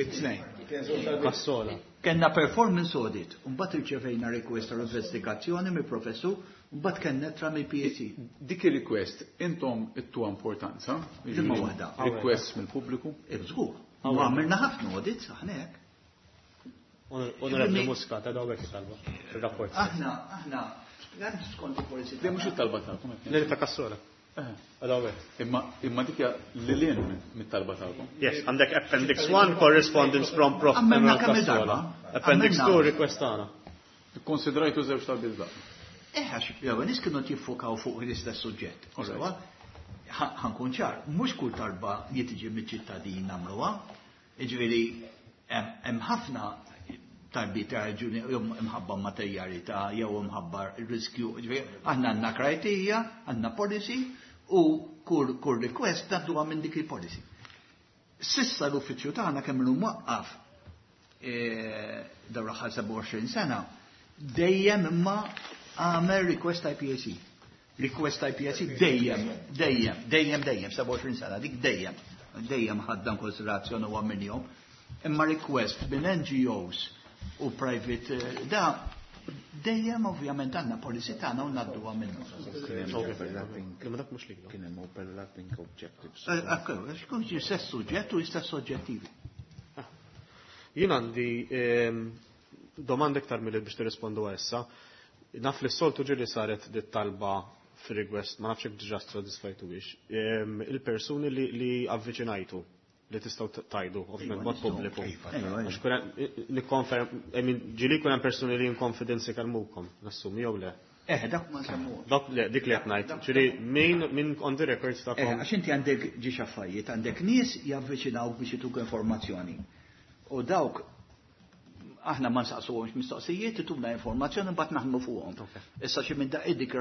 It-tnejn. Cassola. Kenna performance audit, mbagħad irċevejna request għal investigazzjoni mill professur, mbagħad kellna ittra mill-P A C. Dik il-request intom ittu importanza, Imma waħda. Request mill-pubbliku? Żgur. U għamilna ħafna audits aħna hekk. Onorevoli Muscat, għadaw għek talba, il-rapport. Aħna, aħna, għand skont il-policy. Di mhux it-talba tagħkom qed Nili ta' Cassola. Eh. Għadaw għek. Imma imma dik hija lil hinn mitt-talba tagħkom. Yes, għandek Appendix one, correspondence from Prof Għamilna kemm Cassola. il-darba? Appendix Għamilna. two, request tagħna. Ikkonsidrajtu żewġ talbiet daqqa. Eh, għax, jew nies kienu jiffokaw fuq l-istess suġġett. Alright. Sewwa? Ħa nkun ċar, mhux kull talba li tiġi miċ-ċittadin nagħmluha. Jiġifieri hemm hemm ħafna talbiet ta' raġuni jew imħabba materjalità jew imħabba riskju. Jiġifieri aħna għandna criteria, għandna policy u kull kull request tgħadduha minn dik il-policy. Sissa l-uffiċċju tagħna kemm ilu mwaqqaf eh, dawn l-aħħar sebgħa u għoxrin sena, dejjem imma għamel request I P A C. Request I P A C dejjem, dejjem, dejjem, dejjem, sebgħa u għoxrin sena, dik dejjem, dejjem ħaddan konsiderazzjoni u għamilnihom. Imma request minn N G Os u private, eh, da dejjem ovvjament għandna policy tagħna u ngħadduha minnu. Imma dak mhux li. Kien hemm overlapping objectives. Ekku, xkun istess suġġett u istess oġġettivi. Jien għandi ehm, domanda iktar mill biex tirrispondu issa. Naf li s-soltu ġieli saret dit talba fir-request, ma nafx jekk diġà sodisfajtu biex. Ehm, Il-persuni li, li avviċinajtu li tistgħu tajdu, ovvjament mod pubbliku. Għax kun hemm- nikkonferm, I mean, ġieli jkun hemm persuni li in confidence ikellmukom, nassumi jew le. Eh, dak ma nsemmu. Dak le, dik li qed ngħid. Ġieli min min on the records Eh, tagħkom. għax inti għandek ġiex affarijiet, għandek nies javviċinawk biex ituk informazzjoni. U dawk aħna ma nsaqsuhomx mistoqsijiet, ituna informazzjoni, mbagħad naħdmu fuqhom. Issa xi minn daqqiet dik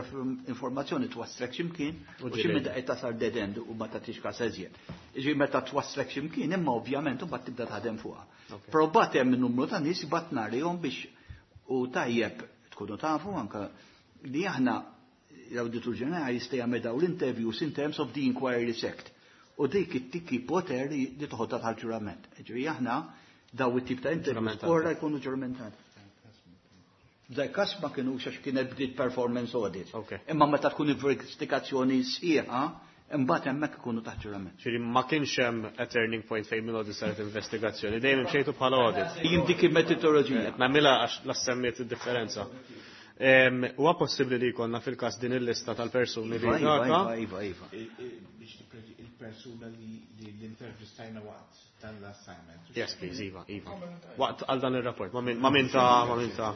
informazzjoni twasslek x'imkien U u xi ġieli. minn daqqiet tasal dead end u ma tagħtix każ eżjed. Jiġifieri meta twasslek x'imkien, imma ovvjament mbagħad tibda taħdem fuqha. Però mbagħad hemm numru ta' nies mbagħad narihom biex u tajjeb tkunu tafu anke li aħna l-Awditur Ġenerali jista' jagħmel dawn l-interviews in terms of the Inquiries Act. U dik ittik poter li toħodha tal-ġurament. Ġifieri aħna daw it-tip ta' interviews Ġuramentati. ora jkunu ġuramentati. F'dak każ ma kienux għax kienet bdiet performance audit. Ok. Imma meta tkun investigazzjoni sħiħa, imbagħad hemmhekk ikunu taħt ġurament. Ġieli ma kienx hemm a turning point fejn minn audit saret investigazzjoni, dejjem imxejtu bħala audit. Jien dik il-metodoloġija. Nagħmilha għax la semmiet id-differenza. Em, Huwa possibbli li jkollna fil-każ din il-lista tal-persuni li Iva, iva, daka? iva, iva, iva. Biex tippreġi il-persuna li li l-intervistajna waqt dan l-assignment. Yes, please, Iva, Iva. Waqt għal dan il-rapport, ma min ma min ta' ma min ta'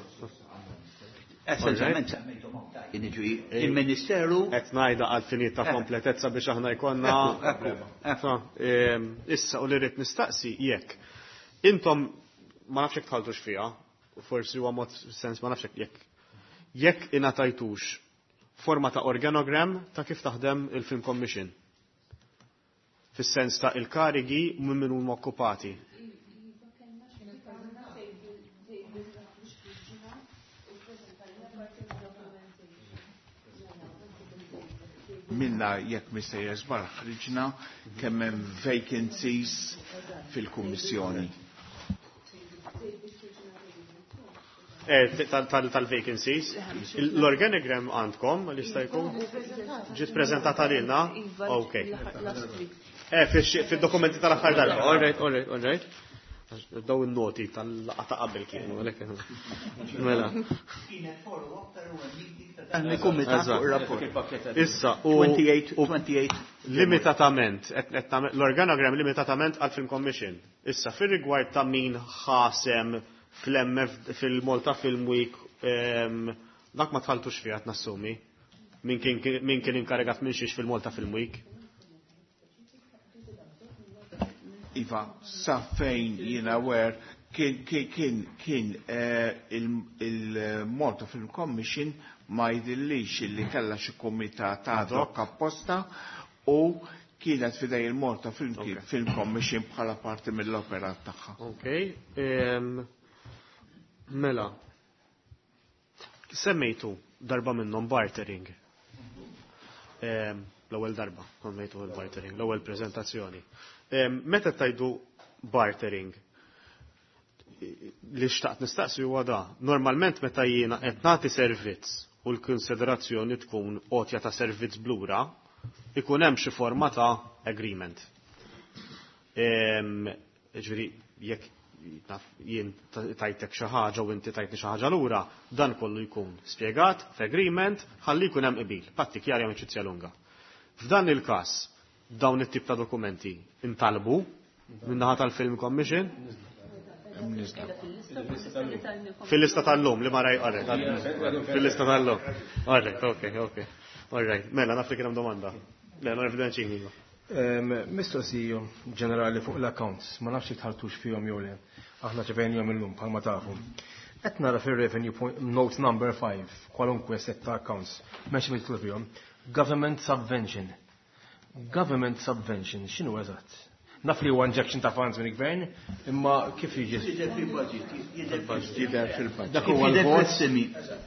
Essenzjalment semmejthom hawn. Jiġifieri il-Ministeru Qed ngħidha għal finijiet ta' kompletezza biex aħna jkollna. Ekku, ekku, ekku. Sa, em, Issa u li rrid nistaqsi jekk intom ma nafx jekk tħaltux fiha, forsi huwa mod sens ma nafx jekk jekk ingħatajtux forma ta' organogram ta' kif taħdem il-Film Commission. Fis-sens ta' il-karigi minn min huma okkupati. Minna jekk mistejjer żbar ħriġna kemm hemm vacancies fil-Kummissjoni. Eh, tal- tal- Tal-vacancies. L-organigram għandkom li jista' jkun? Ġiet preżentata lilna? Iva, Ok. last week. Eh, fil-dokumenti tal-aħħar darba. All right, all right, all right. Daw il-noti tal-laqgħa ta' qabel kienu, għalhekk. Mela. Kienet follow-up ta' il-kumitat fuq ir-rapport. Issa, u twenty-eight, twenty-eight. limitatament, qed- qed nagħmel- l-organogram limitatament għal Film Commission. Issa, fir-rigward ta' min ħasem fl-M F fil-Malta Film Week, em, dak ma tħaltux fiha nassumi. Min kien min kien inkarigat minn xiex fil-Malta Film Week. Iva, sa fejn jiena aware kien kien kien kien eh, il- il-Malta Film Commission ma jidillix li kella xi kumitat ad hoc apposta u kienet fidej il-Malta Film, Ok. Film Commission bħala parti mill-operat tagħha. Ok. em, Mela. Semmejtu darba minnhom bartering. Em, L-ewwel darba semmejtu il-bartering, l-ewwel preżentazzjoni. Em, Meta tajdu bartering, li xtaqt nistaqsi huwa da. Normalment meta jiena qed nagħti servizz u l-konsiderazzjoni tkun għotja ta' servizz blura, ikun hemm xi forma ta' agreement. Em, Ġifieri, jekk naf jien tajtek xi ħaġa u inti tajtni xi ħaġa lura, dan kollu jkun spjegat f'agreement ħalli jkun hemm qbil, patti chiari amicizia lunga. F'dan il-każ, dawn it-tip ta' dokumenti intalbu min-naħa tal-Film Commission? Fil-lista tal-lum li ma raj, alright, fil-lista tal-lum. Alright, ok, ok. Alright, mela, naf li kien hemm domanda. Le, non evidenċini. Mistoqsija ġenerali fuq l-accounts, ma nafx jekk tħaltux fihom jew le. Aħna ċevejnihom illum bħalma tafu. Qed nara fir-revenue point note number five, kwalunkwe set ta' accounts, m'hemmx mitlu fihom. Government subvention. Government subvention, x'inhu eżatt? Naf li huwa injection ta' funds minn gvern, imma kif jiġi? Jidher fil-budget, jidher Jidher fil-budget. Dak huwa Kif jidher l-vot, fl-estimi.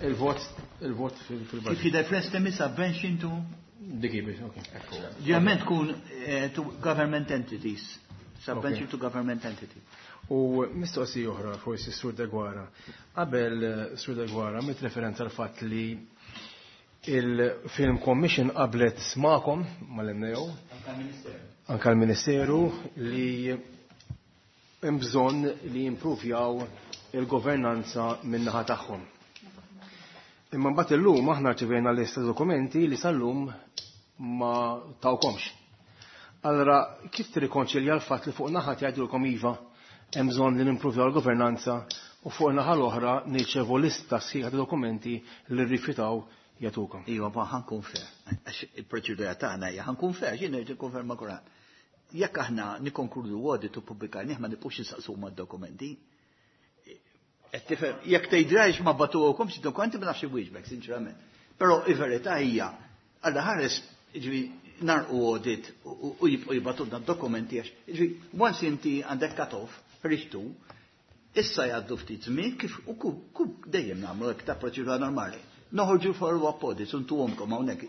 il-vot, il-vot Kif fil-budget. jidher fl-estimi subvention to Dik hi biss, ok. Ġeneralment tkun eh, to government entities. Subvention Okay. to government entity. U mistoqsija oħra forsi Sur Deguara. Qabel Sur Deguara mit referenza għal fatt li il-Film Commission qablet magħkom mal-M N A O, anka l-Ministeru, li hemm bżonn li jimprovjaw il-governanza min-naħa tagħhom. Imma mbagħad illum aħna rċevejna lista dokumenti li sal-lum ma tawkomx. Allora, kif tirrikonċilja l-fatt li fuq naħa jgħidulkom iva, hemm bżonn li nimprovjaw l-governanza, u fuq naħa l-oħra nirċevu lista sħiħa ta' dokumenti li rrifjutaw jagħtukom? Iva, ma ħa nkun fair. Għax il-proċedura tagħna hija ħa nkun fair, jien ngħid ikkonferma kuran. Jekk aħna nikkonkludu audit u pubblikajnih, ma nibqux insaqsu mad-dokumenti. Qed tifhem, jekk tgħidlix ma bagħtuhomx id-dokumenti, ma nafx inwieġbek, sinċerament. Però il-verità hija, għalla ħares, ġifieri, nagħlqu audit u u jibqgħu jibagħtulna d-dokumenti għax, ġifieri, once inti għandek cut-off, ħriġtu, issa jgħaddu ftit żmien kif u ku, ku dejjem nagħmlu hekk ta' proċedura normali. Noħorġu follow-up audits u ntuhomkom hawnhekk.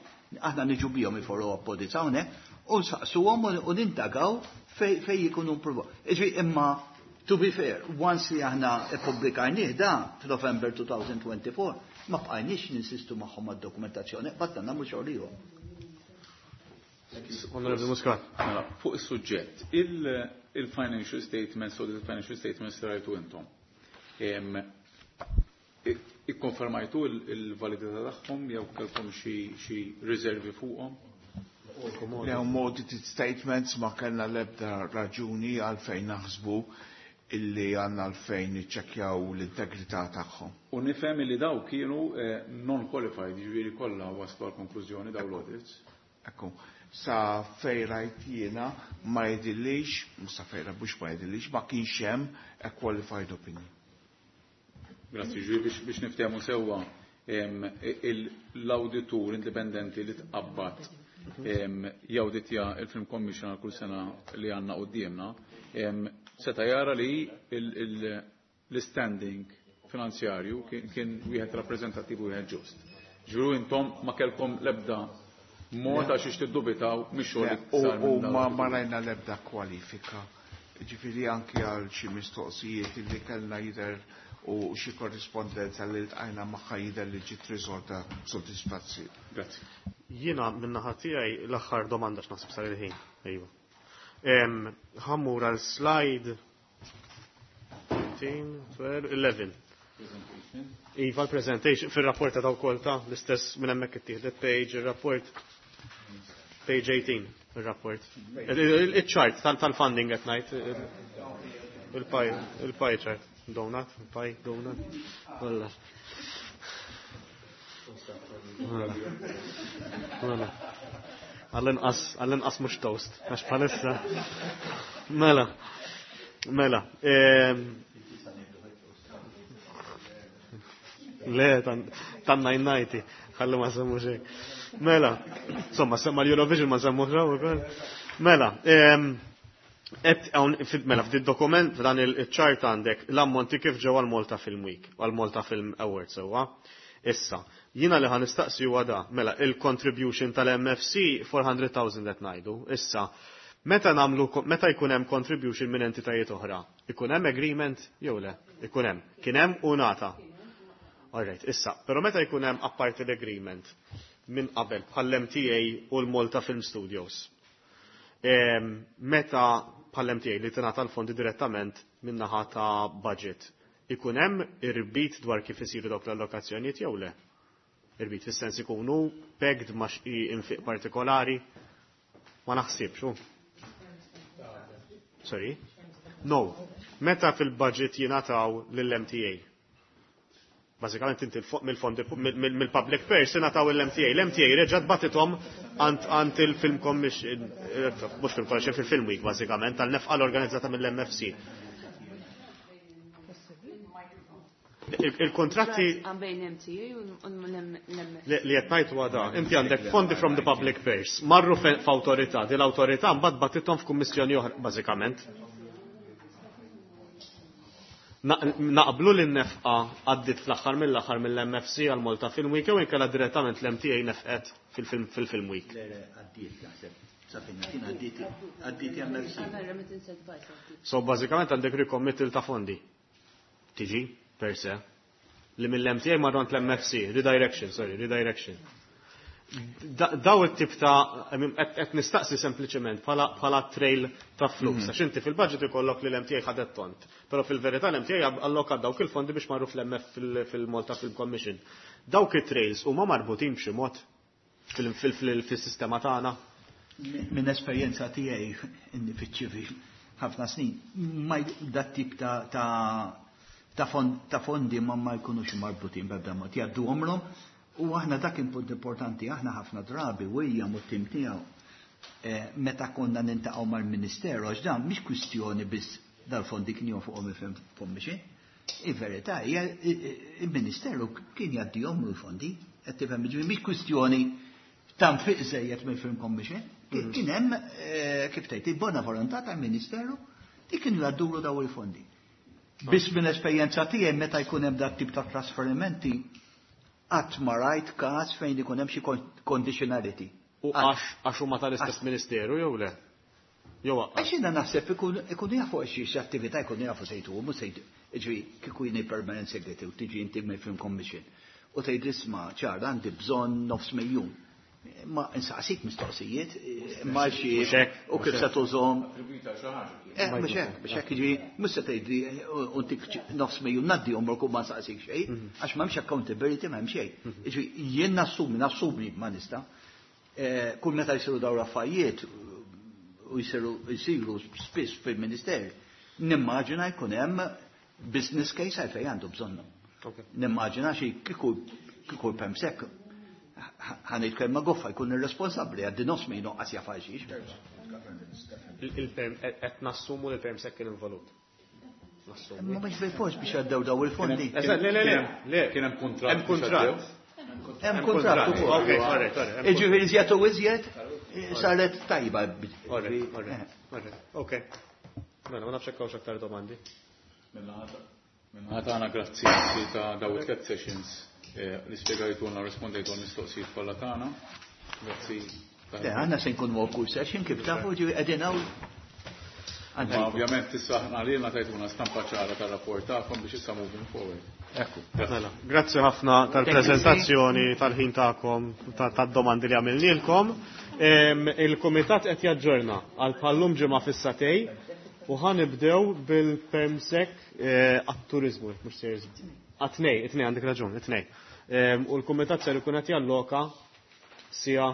Aħna niġu bihom il-follow-up audits hawnhekk u nsaqsuhom u u nintagaw fej fej jikunu impruvaw. Ġifieri, imma to be fair, once li aħna ippubblikajnih da f'November elfejn u erbgħa u għoxrin, ma bqajniex ninsistu magħhom għad-dokumentazzjoni, batna nagħmlu xogħol ieħor. Onorevoli Muscat. Mela, fuq is-suġġett, il- il-financial statements u il-financial statements rajtu intom. Em, i- Ikkonfermajtu il- il-validità tagħhom jew kellkom xi xi riservi fuqhom? Le, audited statements ma kellna l-ebda raġuni għalfejn naħsbu illi għandna għalfejn niċċekkjaw l-integrità tagħhom. U nifhem li daw kienu eh, non-qualified, jiġifieri kollha waslu għal konklużjoni daw l-audits. Ekku, sa fejn rajt jiena ma jidhirlix, sa fejn mhux ma jidhirlix, ma kienx hemm a qualified opinion. Grazzi, ġifieri biex, biex niftehmu sewwa, em, il- l-auditur indipendenti li tqabbad em, jawditja il-Film Commission għal kull sena li għandna quddiemna, em, seta' jara li il- il- l-standing finanzjarju kien kien wieħed rappreżentattiv u wieħed ġust. Ġifieri intom ma kellkom l-ebda mod għax xiex tiddubitaw mix-xogħol li U sar u minn dawn ma l-awdituri. ma rajna l-ebda kwalifika. Ġifieri anki għal xi mistoqsijiet li kellna jidher u xi korrispondenza li ltqajna magħha jidher li ġiet riżolta b'sodisfazzjon. Grazzi. Jiena min-naħa tiegħi l-aħħar domanda x'naħseb sar il-ħin. Ejwa. Em, Ħa mmur għal slide tlettax, tnax, għaxra. Iva, l-presentation fil-rapport ta' wkoll ta' l-istess minn hemmhekk ittieħdet page, il-rapport page eighteen, il-rapport. Il-chart tal-funding qed ngħid, il-pie il-pie chart. Donut, il-pie, donut. Walla. Walla. Walla. Għall-inqas, għall-inqas mhux toast, għax bħalissa. Mela. Mela. Ehm, Le, tanna jinnajti, ħallu ma semmu xejn. Mela, insomma, semma l-Eurovision ma semmu xejn ukoll. Mela, ehm, et hawn mela f'did dokument, f'dan il-chart għandek l-ammonti kif ġew għal Malta Film Week, għal Malta Film Awards sewwa. Issa, jiena li ħa nistaqsi huwa da, mela il-contribution tal-M F C erba' mitt elf qed ngħidu. Issa, meta nagħmlu meta jkun hemm contribution minn entitajiet oħra, ikun hemm agreement jew le? Ikun hemm. Kien hemm u nata. Alright, issa, però meta jkun hemm apparti l-agreement minn qabel bħall-M T A u l-Malta Film Studios. Em, meta bħall-M T A li tingħata l-fondi direttament minn naħa ta' budget, ikun hemm irbit dwar kif isiru dawk l-allokazzjonijiet jew le? Irbit fis-sens ikunu pegged ma' xi infiq partikolari? Ma naħsibx, hu. Sorry? No. Meta fil-budget jingħataw lill-M T A? Bażikament inti mill-fondi mill-public purse ingħataw l-M T A. L-M T A reġgħet bagħtithom għand il-Film Commission, mhux Film Commission, fil-Film Week bażikament, tal-nefqa l-organizzata mill-M F C. Il-kontratti Bejn M T A u l-M F C. Li qed ngħid huwa da, inti għandek fondi from the public purse, marru f'awtorità, di l-awtorità mbagħad bagħtithom f'kummissjoni oħra bażikament. Naqblu li n-nefqa għaddit fl-aħħar mill-aħħar mill-M F C għal Malta Film Week jew inkella direttament l-M T A nefqet fil-Film Week? Le, għaddiet naħseb. Sa fejn kien għaddiet għaddiet M F C. Għandna remittance advice għaddiet. So bażikament għandek recommittal ta' fondi. Tiġi, per se. Li mill-M T A marru għand l-M F C, redirection, sorry, redirection. Da- Daw it-tip ta' I mean, qed qed nistaqsi sempliċement bħala bħala trail ta' flus. Għax inti fil-budget ikollok li l-M T A ħadet tont. Però fil-verità l-M T A allokat dawk il-fondi biex marru fl-M F fil-Malta Film Commission. Dawk it-trails huma marbutin b'xi mod fil- fil- fil- fil-sistema tagħna. Minn esperjenza tiegħi inni fiċ-ċivil ħafna snin, ma dat tip ta' ta' ta' fond- ta' fondi ma ma jkunux marbutin b'ebda mod, jgħaddu għomrom u aħna dak kien punt importanti, aħna ħafna drabi William u t-tim tiegħu eh, meta konna niltaqgħu mal-Ministeru, għax dan mhix kwistjoni biss dal-fondi kien jonfuqhom il-Film Commission. Il-verità hija il-Ministeru kien jgħaddihom l-fondi, qed tifhem, ġifieri mhix kwistjoni ta' nfiq żejjed mill-Film Commission. Kien kien hemm eh, kif tgħid il-bona volontà tal-Ministeru li kienu jgħaddulu daw il-fondi. Biss minn esperjenza tiegħi meta jkun hemm dat tip ta' trasferimenti qatt ma rajt każ fejn ikun hemm xi conditionality. U għax għax huma tal-istess ministeru jew le? Jew Għax jiena naħseb ikun ikunu jafu għax xi attività ikunu jafu sejtu mhux sejtu. Ġifieri kieku jiena permanent secretary u tiġi inti mill-Film Commission u tgħid isma' ċar għandi bżonn nofs miljun. Ma insaqsik mistoqsijiet, ma xi u kif se tużhom. Eh, mhux hekk, mhux hekk, jiġifieri mhux se tgħidli u ntik nofs miljun ngħaddihom morku ma nsaqsik xejn, għax m'hemmx accountability, m'hemm xejn. Jiġifieri jien nassumi, nassumi ma nista'. Eh, kull meta jsiru dawn l-affarijiet u jsiru jsiru spiss fil-Minister, nimmaġina jkun hemm business case għalfejn għandu bżonnhom. Nimmaġina xi kieku kieku perm sec ħa ngħid kelma goffa jkun irresponsabbli għaddi nofs miljun qas jaf għal xiex. Il-perm qed nassumu li l-perm sec kien involut. Ma mhux bil-fors biex għaddew daw il-fondi. Eżatt, le, le, le, le. Kien hemm kuntratt. Hemm kuntratt. Hemm kuntratt ukoll. Ok, alright, alright. Jiġifieri iżjed u iżjed saret tajba. Alright, alright, alright. Ok. Mela, ma nafx hekk hawnx aktar domandi. Min-naħa tagħna grazzi ta' daw it-tliet sessions eh, li spjegajtulna u rispondejtu għal-mistoqsijiet kollha tagħna. Grazzi. Le, aħna se nkunu għal kull session kif tafu ġi qegħdin hawn. Ma ovvjament issa aħna lilna tajtuna stampa ċara tar-rapport tagħkom biex issa moving forward. Ekku. Mela, grazzi ħafna tal-prezentazzjoni, tal-ħin tagħkom, tad-domandi li għamilnielkom. Il-kumitat qed jaġġorna għal bħal-lum ġimgħa fis-sagħtejn u ħa nibdew bil-permsec għat-turizmu, mhux seriż. Għat-tnejn, it-tnejn għandek raġun, it-tnejn. U l-kumitat ser ikun qed jalloka siegħa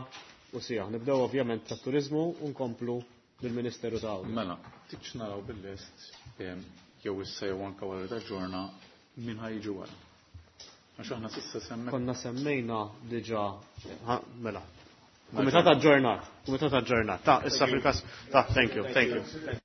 u siegħa. Nibdew ovvjament tat-turizmu u nkomplu bil-Ministeru ta' Mela, tikx naraw bil-lest jew issa jew anke wara taġġorna min ħa jiġi wara. Għax aħna s'issa semmek. Konna semmejna diġà, mela. Kumitat aġġornat, kumitat aġġornat. Ta' issa fil-każ, ta' thank you, thank you.